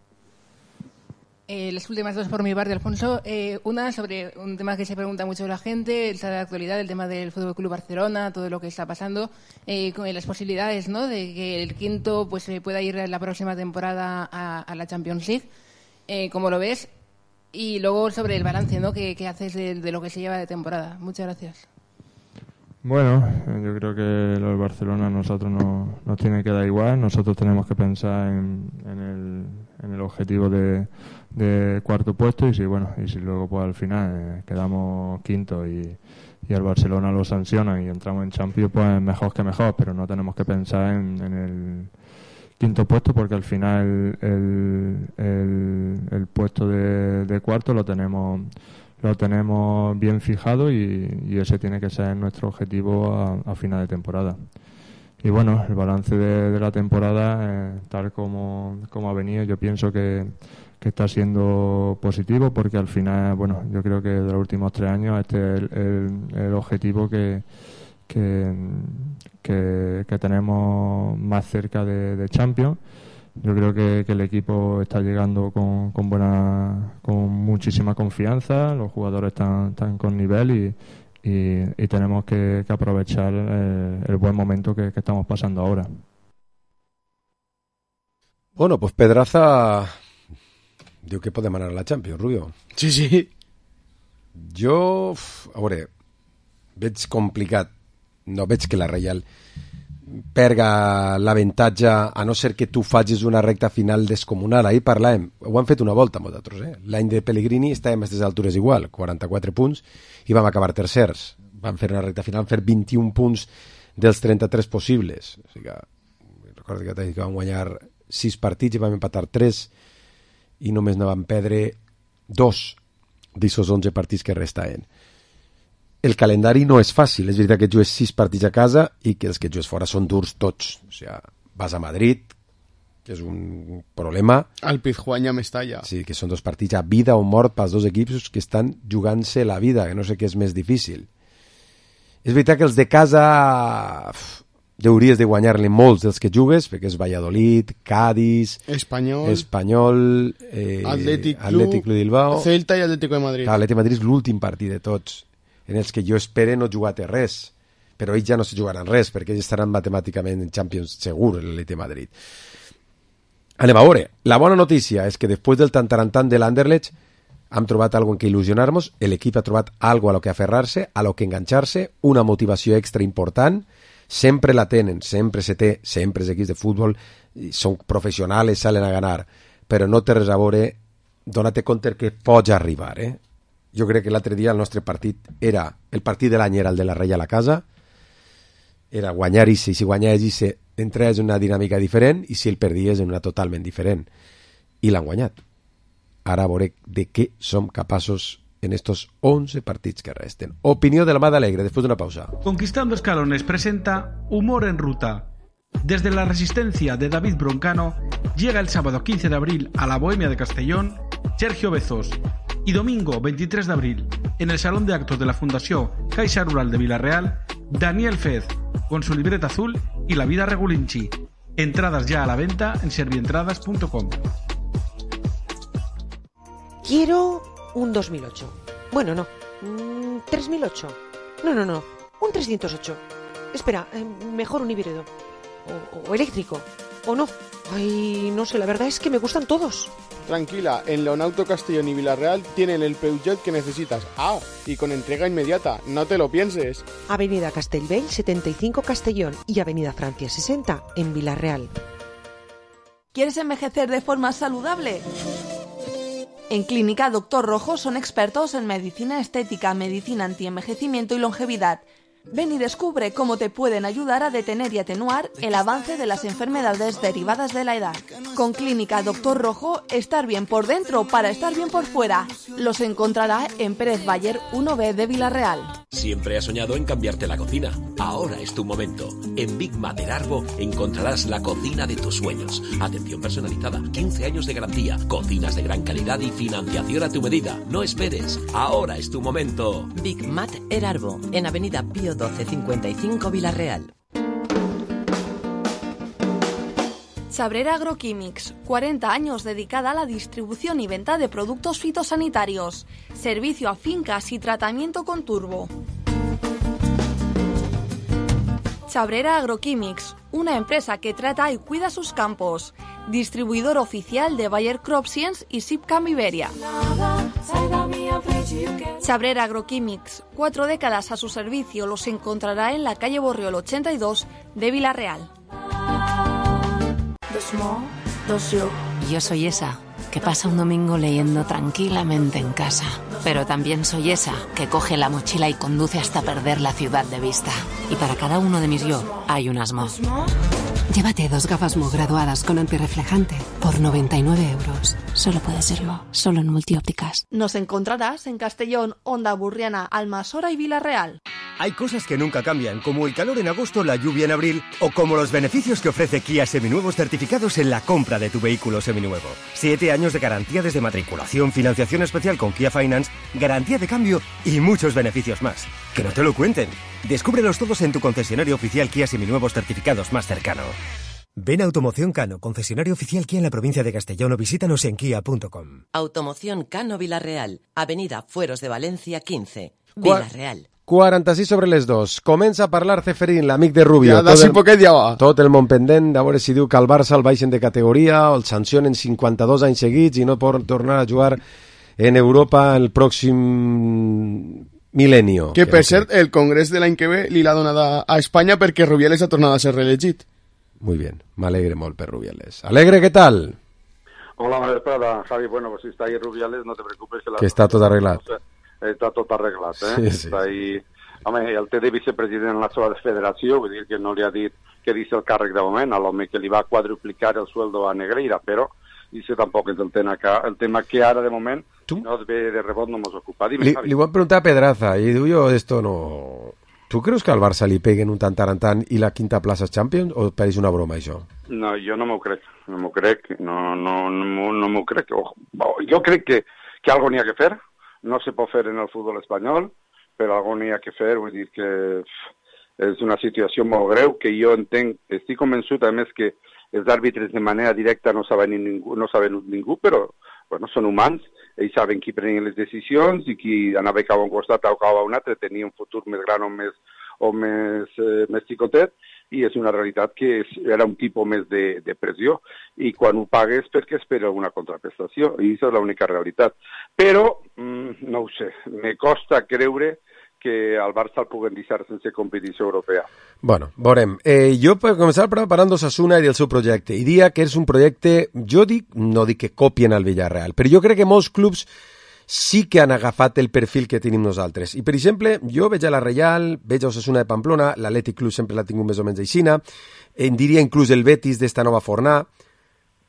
Las últimas dos por mi parte, Alfonso. Una sobre un tema que se pregunta mucho la gente, el de la actualidad, el tema del Fútbol Club Barcelona, todo lo que está pasando, con las posibilidades, ¿no?, de que el quinto pues pueda ir la próxima temporada a la Champions League. ¿Cómo lo ves? Y luego sobre el balance, ¿no?, que haces de lo que se lleva de temporada. Muchas gracias. Bueno, yo creo que lo del Barcelona a nosotros nos tiene que dar igual. Nosotros tenemos que pensar en el objetivo de cuarto puesto, y si luego pues al final quedamos quinto y el Barcelona lo sanciona y entramos en Champions, pues mejor que mejor, pero no tenemos que pensar en el quinto puesto, porque al final el puesto de cuarto lo tenemos bien fijado, y ese tiene que ser nuestro objetivo a final de temporada. Y bueno, el balance de la temporada, tal como ha venido, yo pienso que está siendo positivo, porque al final, yo creo que de los últimos 3 años este es el objetivo que tenemos más cerca de Champions. Yo creo que el equipo está llegando con muchísima confianza, los jugadores están con nivel, y tenemos que aprovechar el buen momento que estamos pasando ahora. Bueno, pues Pedraza diu que podem anar a la Champions, Rubio. Sí. Jo, a veure, veig complicat. No veig que la Reial perga l'avantatge, a no ser que tu facis una recta final descomunal. Ahir parlàvem, ho han fet una volta amb nosaltres, L'any de Pellegrini estàvem a aquestes altures igual, 44 punts, i vam acabar tercers. Vam fer una recta final, vam fer 21 punts dels 33 possibles. O sigui que, recordo que vam guanyar 6 partits i vam empatar 3, i només no vam perdre 2 d'aquests 11 partits que restaven. El calendari no és fàcil, és veritat que jugues 6 partits a casa i que els que jugues fora són durs tots. O sigui, vas a Madrid, que és un problema. Al Pizjuán i a Mestalla. Sí, que són 2 partits a vida o mort pels 2 equips que estan jugant-se la vida, que no sé què és més difícil. És veritat que els de casa hauries de guanyar-li molts dels que jugues, perquè és Valladolid, Cádiz, Espanyol, Atlètic Club Bilbao, Celta i Atlético de Madrid. L'Atlètic de Madrid és l'últim partit de tots, en els que jo espere no jugar res, però ells ja no se jugaran res, perquè ells estaran matemàticament en Champions segur, l'Atlètic de Madrid. Anem a veure. La bona notícia és que després del tantarantant de l'Anderlecht hem trobat algo en què il·lusionar-nos, l'equip ha trobat algo a lo que aferrar-se, a lo que enganxar-se, una motivació extra important, sempre la tenen, sempre se té, sempre els equips de futbol són professionals, salen a ganar, però no té res a veure, dona-te compte que pots arribar. Jo crec que l'altre dia el nostre partit era, el partit de l'any era el de la Reia a la casa, era guanyar i si guanyaves i entraves en una dinàmica diferent i si el perdies en una totalment diferent. I l'han guanyat. Ara veuré de què som capaços en estos 11 partits que resten. Opinió de la Mada Alegre, después de una pausa. Conquistando Escalones presenta Humor en Ruta. Desde la Resistencia de David Broncano llega el sábado 15 de abril a la Bohemia de Castellón Sergio Bezos y domingo 23 de abril en el Salón de Actos de la Fundació Caixa Rural de Vila-real Daniel Fez con su libreta azul y La Vida Regulinchi. Entradas ya a la venta en servientradas.com. Quiero un 2008. Bueno, no. 3008. No. Un 308. Espera, mejor un híbrido. O eléctrico. O no. Ay, no sé, la verdad es que me gustan todos. Tranquila, en Leonauto Castellón y Vila-real tienen el Peugeot que necesitas. Ah, y con entrega inmediata, no te lo pienses. Avenida Castellbell 75 Castellón y Avenida Francia 60 en Vila-real. ¿Quieres envejecer de forma saludable? En Clínica Doctor Rojo son expertos en medicina estética, medicina antienvejecimiento y longevidad. Ven y descubre cómo te pueden ayudar a detener y atenuar el avance de las enfermedades derivadas de la edad. Con Clínica Doctor Rojo, estar bien por dentro para estar bien por fuera. Los encontrará en Pérez Bayer 1B de Vila-real. Siempre has soñado en cambiarte la cocina. Ahora es tu momento. En Big Mat del Arbo encontrarás la cocina de tus sueños. Atención personalizada, 15 años de garantía, cocinas de gran calidad y financiación a tu medida. No esperes. Ahora es tu momento. Big Mat El Arbo, en Avenida Pío 1255 Vila-real. Chabrera Agroquímics, 40 años dedicada a la distribución y venta de productos fitosanitarios. Servicio a fincas y tratamiento con turbo. Chabrera Agroquímics, una empresa que trata y cuida sus campos. Distribuidor oficial de Bayer Crop Science y Sipcam Iberia. Chabrera Agroquímics, 4 décadas a su servicio, los encontrará en la calle Borriol 82 de Vila-real. Yo soy esa que pasa un domingo leyendo tranquilamente en casa, pero también soy esa que coge la mochila y conduce hasta perder la ciudad de vista. Y para cada uno de mis yo hay un Asmo. Llévate 2 gafas Mo graduadas con antirreflejante por 99 euros. Solo puede serlo, solo en Multiópticas. Nos encontrarás en Castellón, Onda Burriana, Almasora y Vila-real. Hay cosas que nunca cambian, como el calor en agosto, la lluvia en abril, o como los beneficios que ofrece Kia Seminuevos certificados en la compra de tu vehículo seminuevo. 7 años de garantía desde matriculación, financiación especial con Kia Finance, garantía de cambio y muchos beneficios más. Que no te lo cuenten. Descúbrelos todos en tu concesionario oficial Kia Seminuevos certificados más cercano. Ven a Automoción Cano, concesionario oficial Kia en la provincia de Castellón, o visítanos en kia.com. Automoción Cano Vila-real, Avenida Fueros de Valencia 15, Vila-real. 46 sobre les 2. Comença a parlar Ceferín, l'amic de Rubio. Ja, d'ací poquet ja va. Tot el món pendent, a veure si diu que el Barça el baixen de categoria o el sancionen 52 anys seguits i no pot tornar a jugar en Europa el pròxim milenio. Que per cert, el congrés de l'any que ve li l'ha donat a Espanya perquè Rubiales ha tornat a ser reelegit. Muy bien, me alegre molt per Rubiales. Alegre, ¿qué tal? Hola, buenas tardes, Javi. Bueno, pues si está ahí Rubiales, no te preocupes. Que está tot arreglat. Està tot arreglat, Sí, sí. Està ahí... Home, el té de vicepresident en la seva federació, vull dir que no li ha dit que deixi el càrrec de moment, a l'home que li va quadruplicar el sueldo a Negreira, però això tampoc és el tema que ara, de moment, no es ve de rebot, no mos ocupa. Dime, Javi. Li ho vam preguntar a Pedraza i diu jo, esto no... ¿Tú creus que al Barça li peguen un tant i la quinta plaça Champions o pareix una broma, això? No, jo no m'ho crec, no m'ho crec. Jo crec que algo n'hi ha que fer, no se pot fer en el futbol espanyol, però algo n'hi ha que fer, vull dir que és una situació molt greu, que jo entenc, estic convençut, a més, que els àrbitres de manera directa no saben ningú, però bueno, són humans, ells saben qui prenen les decisions i qui anava cap a un costat o cap a un altre tenia un futur més gran o més xicotet, i és una realitat que era un tipus més de pressió, i quan ho pagues perquè espera una contraprestació, i això és l'única realitat. Però, no ho sé, me costa creure que al Barça el puguen deixar sense competició europea. Bueno, veurem. Jo, per començar, preparant Osasuna i el seu projecte, i diria que és un projecte, no dic que copien al Villarreal, però jo crec que molts clubs sí que han agafat el perfil que tenim nosaltres. I, per exemple, jo veig a la Reial, veig a Osasuna de Pamplona, l'Atlètic Club sempre l'ha tingut més o menys aixina, en diria inclús el Betis d'esta nova fornà,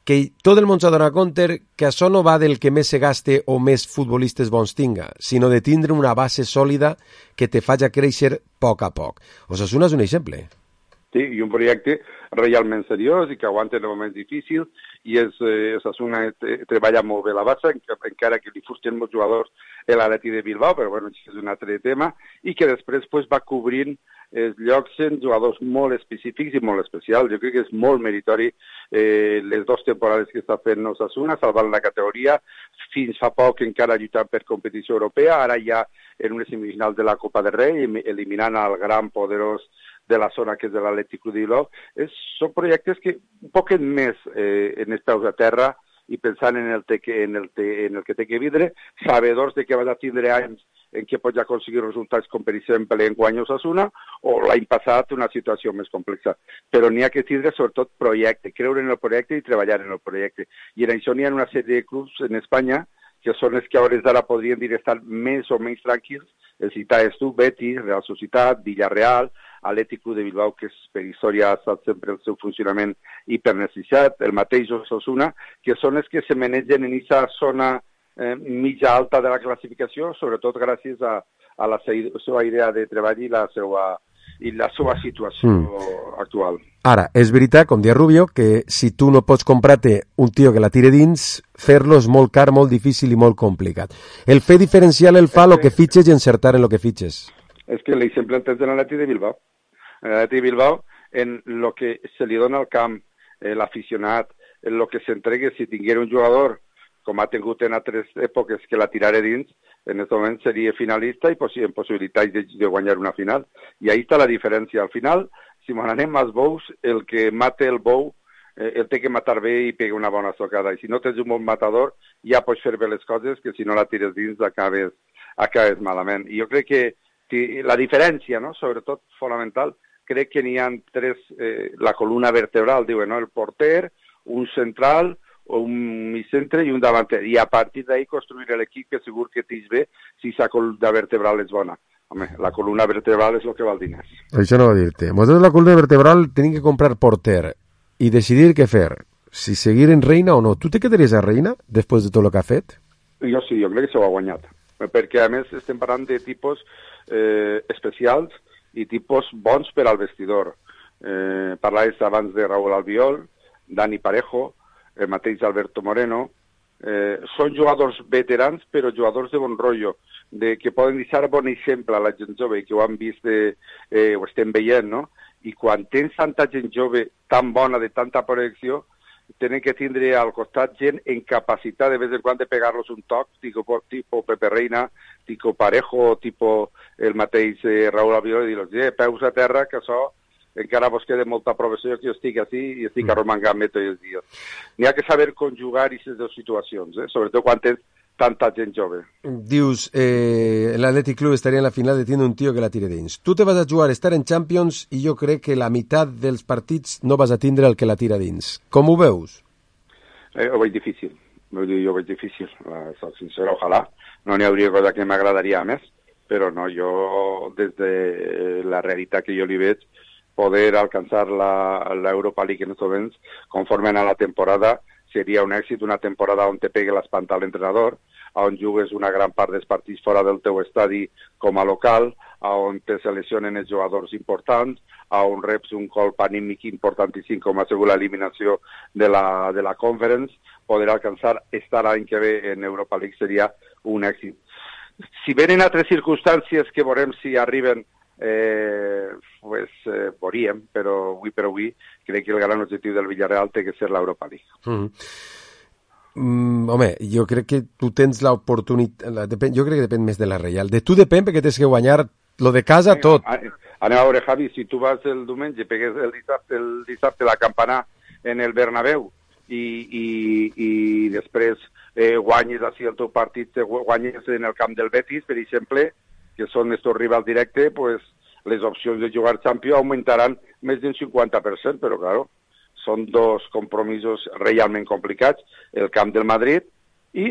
que tot el món s'ha donat compte que això no va del que més se gaste o més futbolistes bons tinga, sinó de tindre una base sòlida que te faci créixer a poc. Osasuna és un exemple. Sí, i un projecte realment seriós i que aguanta en moments difícils, i Osasuna treballa molt bé la base, encara que li fusten molts jugadors a l'Atleti de Bilbao, però bueno, és un altre tema, i que després va cobrint els llocs en jugadors molt específics i molt especials. Jo crec que és molt meritori les 2 temporades que està fent Osasuna, salvant la categoria, fins fa poc encara lluitant per competició europea, ara ja en una semifinal de la Copa del Rei, eliminant el gran poderós de la zona que és de l'Atlètic Club de Bilbao. Són projectes que un poquet més en els peus a terra i pensant en el que té que vindre, sabedors de que vas a tindre anys en què pots aconseguir resultats com, per exemple, enguany Osasuna, o l'any passat una situació més complexa. Però n'hi ha que tindre, sobretot, projecte, creure en el projecte i treballar en el projecte. I en això n'hi ha una sèrie de clubs en Espanya que són els que a hores d'ara podrien dir estar més o menys tranquils. El citaves tu, Betis, Real Societat, Villarreal, Atlètic Club de Bilbao, que per història ha estat sempre el seu funcionament hipernecessitat, el mateix Osasuna, que són els que se manegen en aquesta zona mitja alta de la classificació, sobretot gràcies a la seva idea de treball i la seva situació actual. Ara, és veritat, com dia Rubio, que si tu no pots comprar-te un tio que la tire dins, fer-lo és molt car, molt difícil i molt complicat. El fer diferencial el fa el que fitxes i encertar en el que fitxes. És que l'exemple entès de l'Atlètic de Bilbao. L'Atlètic de Bilbao, en el que se li dona al camp, l'aficionat, en el que s'entregue, si tinguera un jugador com ha tingut en altres èpoques que la tiraré dins, en aquest moment seria finalista i amb possibilitats de guanyar una final. I ahí està la diferència. Al final, si m'ho anem als bous, el que mata el bou el té que matar bé i pega una bona socada. I si no tens un bon matador, ja pots fer bé les coses, que si no la tires dins acabes malament. I jo crec que la diferència, no? Sobretot fonamental, crec que n'hi ha 3, la columna vertebral, diuen, no? El porter, un central, un migcentre i un davanter, i a partir d'ahí construir l'equip que segur que tens bé si la columna vertebral és bona. Home, la columna vertebral és el que val diners. Això no va dir-te. Nosaltres la columna vertebral tenim que comprar porter i decidir què fer, si seguir en Reina o no. Tu te quedaries a Reina després de tot el que ha fet? Jo sí, jo crec que s'ho ha guanyat, perquè a més estem parlant de tipus especials i tipus bons per al vestidor. Parlaves abans de Raúl Albiol, Dani Parejo, el mateix Alberto Moreno, són jugadors veterans però jugadors de bon rotllo, que poden deixar bon exemple a la gent jove i que ho han vist, ho estem veient, no? I quan tens tanta gent jove tan bona, de tanta projecció, tenen que tindre al costat gent en capacitat de vez en quan de pegar-los un toc, tipo Pepe Reina, tipo Parejo, tipo el mateix Raúl Albiol, i dir-los, peus a terra, que això encara vos queda molta professió, que jo estic així i estic arromangant-me tots els dies. N'hi ha que saber conjugar aquestes dues situacions, sobretot quan tens tanta gent jove. Dius, l'Atlètic Club estaria en la final de tindre un tio que la tire dins. Tu te vas a jugar a estar en Champions i jo crec que la meitat dels partits no vas a tindre el que la tira dins. Com ho veus? Ho veig difícil. Jo veig difícil. Soc sincer, ojalà. No n'hi hauria cosa que m'agradaria més, però no, jo des de la realitat que jo li veig, poder alcanzar la Europa League en estos moments, conforme a la temporada, seria un èxit, una temporada on te pegue l'espanta a l'entrenador, on jugues una gran part dels partits fora del teu estadi com a local, on te seleccionen els jugadors importants, on reps un colp anímic importantíssim com ha sigut l'eliminació de la Conference, poder alcançar estar l'any que ve en Europa League seria un èxit. Si venen altres circumstàncies que veurem si arriben, veuríem, però avui crec que el gran objectiu del Villarreal té que ser l'Europa League. Home, jo crec que tu tens l'oportunitat, jo crec que depèn més de la Reial. De tu depèn perquè tens que guanyar lo de casa tot. Anem a veure, Javi, si tu vas el diumenge, pegues el dissabte la campana en el Bernabéu i després guanyes així el teu partit, guanyes en el camp del Betis, per exemple, que són estos rivals directes, pues, les opcions de jugar Champions augmentaran més d'un 50%, però, claro, són dos compromisos realment complicats, el camp del Madrid i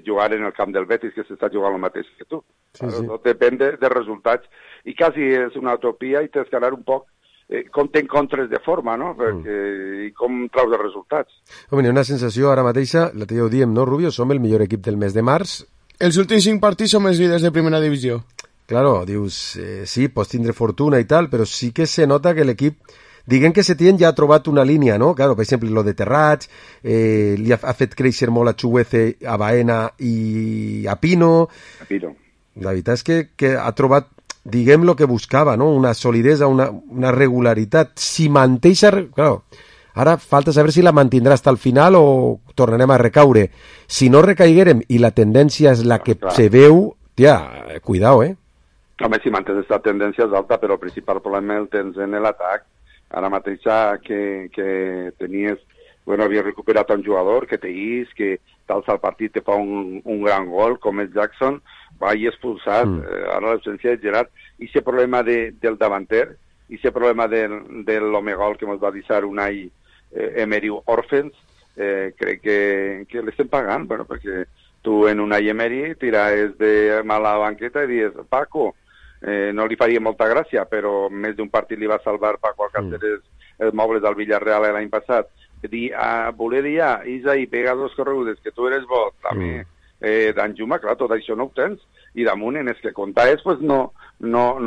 jugar en el camp del Betis, que s'està jugant el mateix que tu. Sí, claro, sí. Tot depèn de resultats, i quasi és una utopia i tens que anar un poc com t'encontres de forma, no? I com traus els resultats. Home, una sensació ara mateixa, la que ja ho diem, no, Rubio? Som el millor equip del mes de març. Els últims 5 partits som els líders de primera divisió. Claro, dius, sí, pots tindre fortuna i tal, però sí que se nota que l'equip, diguem que Setién ja ha trobat una línia, no? Claro, per exemple, lo de Terrats, li ha fet créixer molt a Chuguece, a Baena i a Pino. La veritat és que ha trobat, diguem, lo que buscava, no? Una solidesa, una regularitat. Si manteixa... Claro, ara falta saber si la mantindrà hasta el final o tornarem a recaure. Si no recaiguerem i la tendència és la que se veu, tia, cuidao, Home, si mantens aquesta tendència és alta, però el principal problema el tens en l'atac. Ara mateixa que tenies... Bueno, havia recuperat un jugador que t'eix, que t'alça el partit, te fa un gran gol, com és Jackson, va i expulsat. Ara l'absència de Gerard. I aquest problema del davanter, i aquest problema de l'home gol que ens va deixar Unai Emery Orphans, crec que l'estem pagant, bueno, perquè tu en Unai Emery tiraves de mala banqueta i dius, Paco, no li faria molta gràcia, però més d'un partit li va salvar Paco Alcácer els mobles del Villarreal l'any passat. Voler dir, Isaí, pega 2 corregudes, que tu eres bo, també d'Anjuma, clar, tot això no ho tens, i damunt en els que comptaves pues no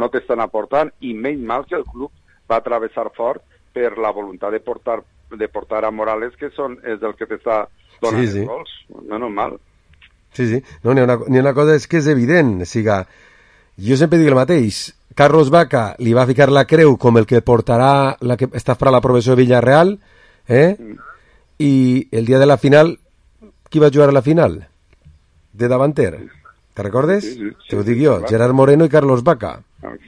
t'estan aportant, i menys mal que el club va travessar fort per la voluntat de portar a Morales, que és el que t'està donant els gols, menys mal. Sí. No, n'hi ha una cosa, és que és evident, jo sempre dic el mateix, Carlos Vaca li va ficar la creu com el que portarà, la que està per a la promoció de Villarreal, i el dia de la final, qui va jugar a la final? De davanter. Te recordes? Sí. Te ho dic jo, clar. Gerard Moreno i Carlos Vaca.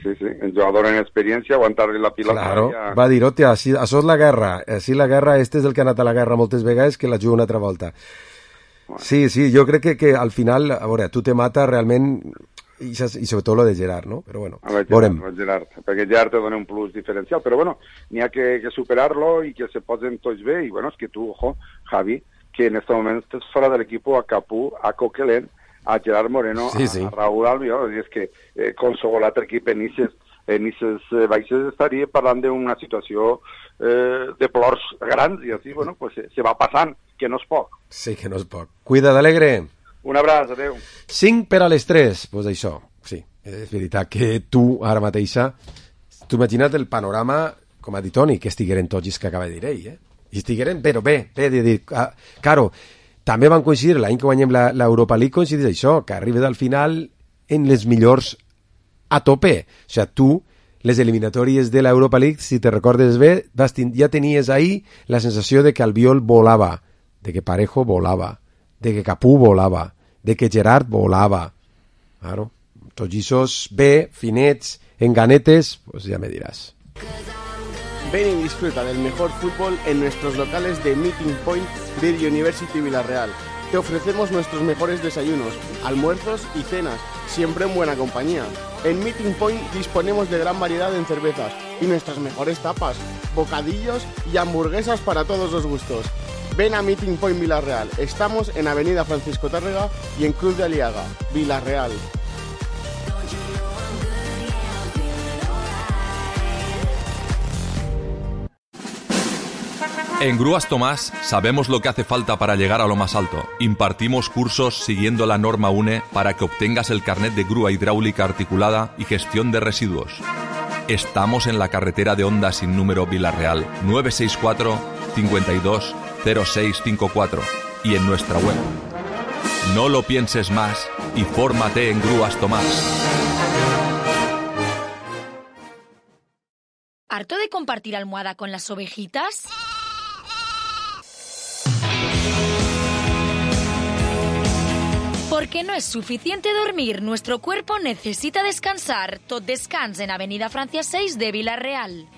Sí, el jugador en experiència, aguantar-li la pilota. Claro, va dir, hòstia, això és la guerra. Així la guerra, este és el que ha anat a la guerra moltes vegades, que la juga una altra volta. Sí, jo crec que al final, a veure, tu te mata realment, i sobretot lo de Gerard, no? Però bueno, veurem. Gerard, perquè Gerard te dona un plus diferencial, però bueno, n'hi ha que superar-lo i que se posen tots bé, i bueno, és que tu, ojo, Javi, que en este moment estàs fora de l'equip a Capú, a Coquelin, a Gerard Moreno, a Raúl Albiol, i és que qualsevol altre equip en aquestes baixes estaria parlant d'una situació de plors grans, i així, bueno, pues se va passant, que no és poc. Sí, que no és poc. Cuida d'Alegre. Un abraç, adeu. 5 per a les 3, doncs això, sí, és veritat que tu, ara mateixa, tu imagina't el panorama, com ha dit Toni, que estigueren tots els que acaba de dir ell, i estigueren, però bé, de dir, claro, també van coincidir, l'any que guanyem l'Europa League, coincideix això, que arribes al final en les millors a tope, o sigui, tu, les eliminatòries de l'Europa League, si te recordes bé, ja tenies ahí la sensació de que Albiol volava, de que Parejo volava, de que Capú volava, de que Gerard volava. Claro, tots aquests bé, finets, enganetes, pues ya me dirás. Ven y disfruta del mejor fútbol en nuestros locales de Meeting Point de University Villarreal. Te ofrecemos nuestros mejores desayunos, almuerzos y cenas, siempre en buena compañía. En Meeting Point disponemos de gran variedad en cervezas y nuestras mejores tapas, bocadillos y hamburguesas para todos los gustos. Ven a Meeting Point Villarreal. Estamos en Avenida Francisco Tárrega y en Cruz de Aliaga, Villarreal. En Grúas Tomás sabemos lo que hace falta para llegar a lo más alto. Impartimos cursos siguiendo la norma UNE para que obtengas el carnet de grúa hidráulica articulada y gestión de residuos. Estamos en la carretera de Honda sin número Villarreal, 964 52 0654 y en nuestra web. No lo pienses más y fórmate en Grúas Tomás. ¿Harto de compartir almohada con las ovejitas? Porque no es suficiente dormir, nuestro cuerpo necesita descansar. Tot Descans en Avenida Francia 6 de Villarreal.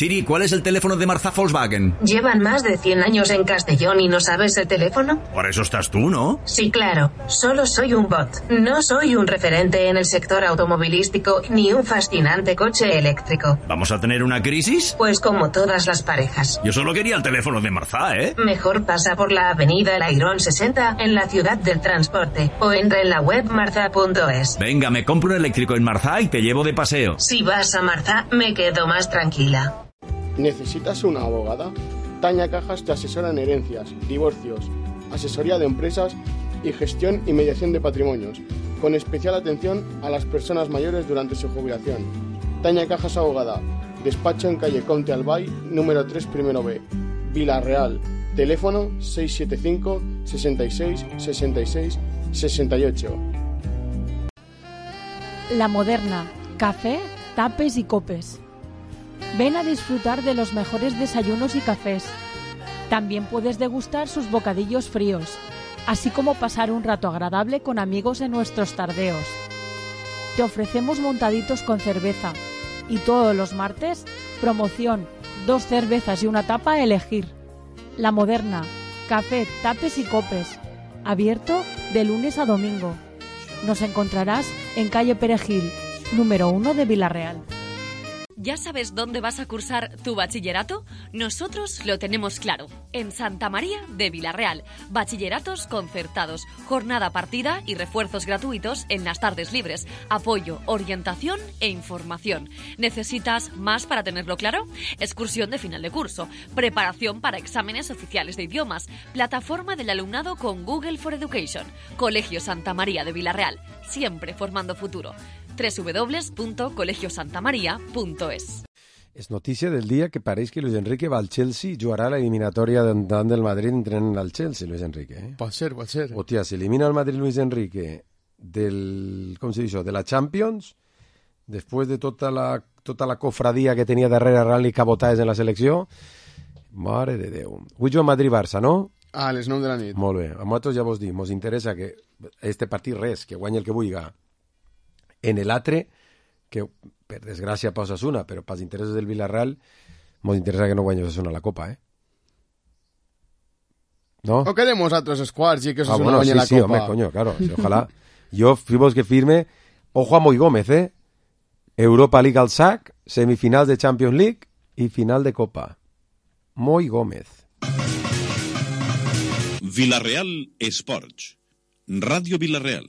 Siri, ¿cuál es el teléfono de Marzá Volkswagen? ¿Llevan más de 100 años en Castellón y no sabes el teléfono? Por eso estás tú, ¿no? Sí, claro. Solo soy un bot. No soy un referente en el sector automovilístico ni un fascinante coche eléctrico. ¿Vamos a tener una crisis? Pues como todas las parejas. Yo solo quería el teléfono de Marzá, ¿eh? Mejor pasa por la avenida El Airón 60 en la ciudad del transporte o entra en la web marza.es. Venga, me compro un eléctrico en Marzá y te llevo de paseo. Si vas a Marzá, me quedo más tranquila. ¿Necesitas una abogada? Tania Cajas te asesora en herencias, divorcios, asesoría de empresas y gestión y mediación de patrimonios, con especial atención a las personas mayores durante su jubilación. Tania Cajas Abogada, despacho en calle Comte Albay, número 3, primero B, Vilarreal, teléfono 675 66 66 68. La Moderna, café, tapes y copes. Ven a disfrutar de los mejores desayunos y cafés. También puedes degustar sus bocadillos fríos, así como pasar un rato agradable con amigos en nuestros tardeos. Te ofrecemos montaditos con cerveza y todos los martes, promoción, 2 cervezas y una tapa a elegir. La Moderna, café, tapes y copes. Abierto de lunes a domingo. Nos encontrarás en calle Perejil, número 1 de Vilarreal. ¿Ya sabes dónde vas a cursar tu bachillerato? Nosotros lo tenemos claro. En Santa María de Vilarreal. Bachilleratos concertados, jornada partida y refuerzos gratuitos en las tardes libres. Apoyo, orientación e información. ¿Necesitas más para tenerlo claro? Excursión de final de curso. Preparación para exámenes oficiales de idiomas. Plataforma del alumnado con Google for Education. Colegio Santa María de Vilarreal. Siempre formando futuro. www.colegiosantamaria.es. És notícia del dia que pareix que Luis Enrique va al Chelsea i jugarà la eliminatòria davant del Madrid entrenant al Chelsea, Luis Enrique. Pot ser. Hòstia, si elimina el Madrid Luis Enrique del, com se diu, de la Champions, després de tota la cofradia que tenia darrere arran i cabotades en la selecció, mare de Déu. Avui juga Madrid-Barça, no? A les 9 de la nit. Molt bé. A nosaltres ja vos dic, mos interessa que este partit res, que guanyi el que vulga. En l'altre, que per desgràcia per Osasuna, però pels interessos del Villarreal, ens interessa que no guanyi Osasuna la Copa, eh? ¿No? O queremos otros quarts y que Osasuna guanyi la Copa. Sí, home, coño, claro. Sí, ojalá. Yo, fuimos que firme, ojo a Moi Gómez, ¿eh? Europa League al sac, semifinals de Champions League y final de Copa. Moi Gómez. Vilarreal Esports. Ràdio Vilarreal.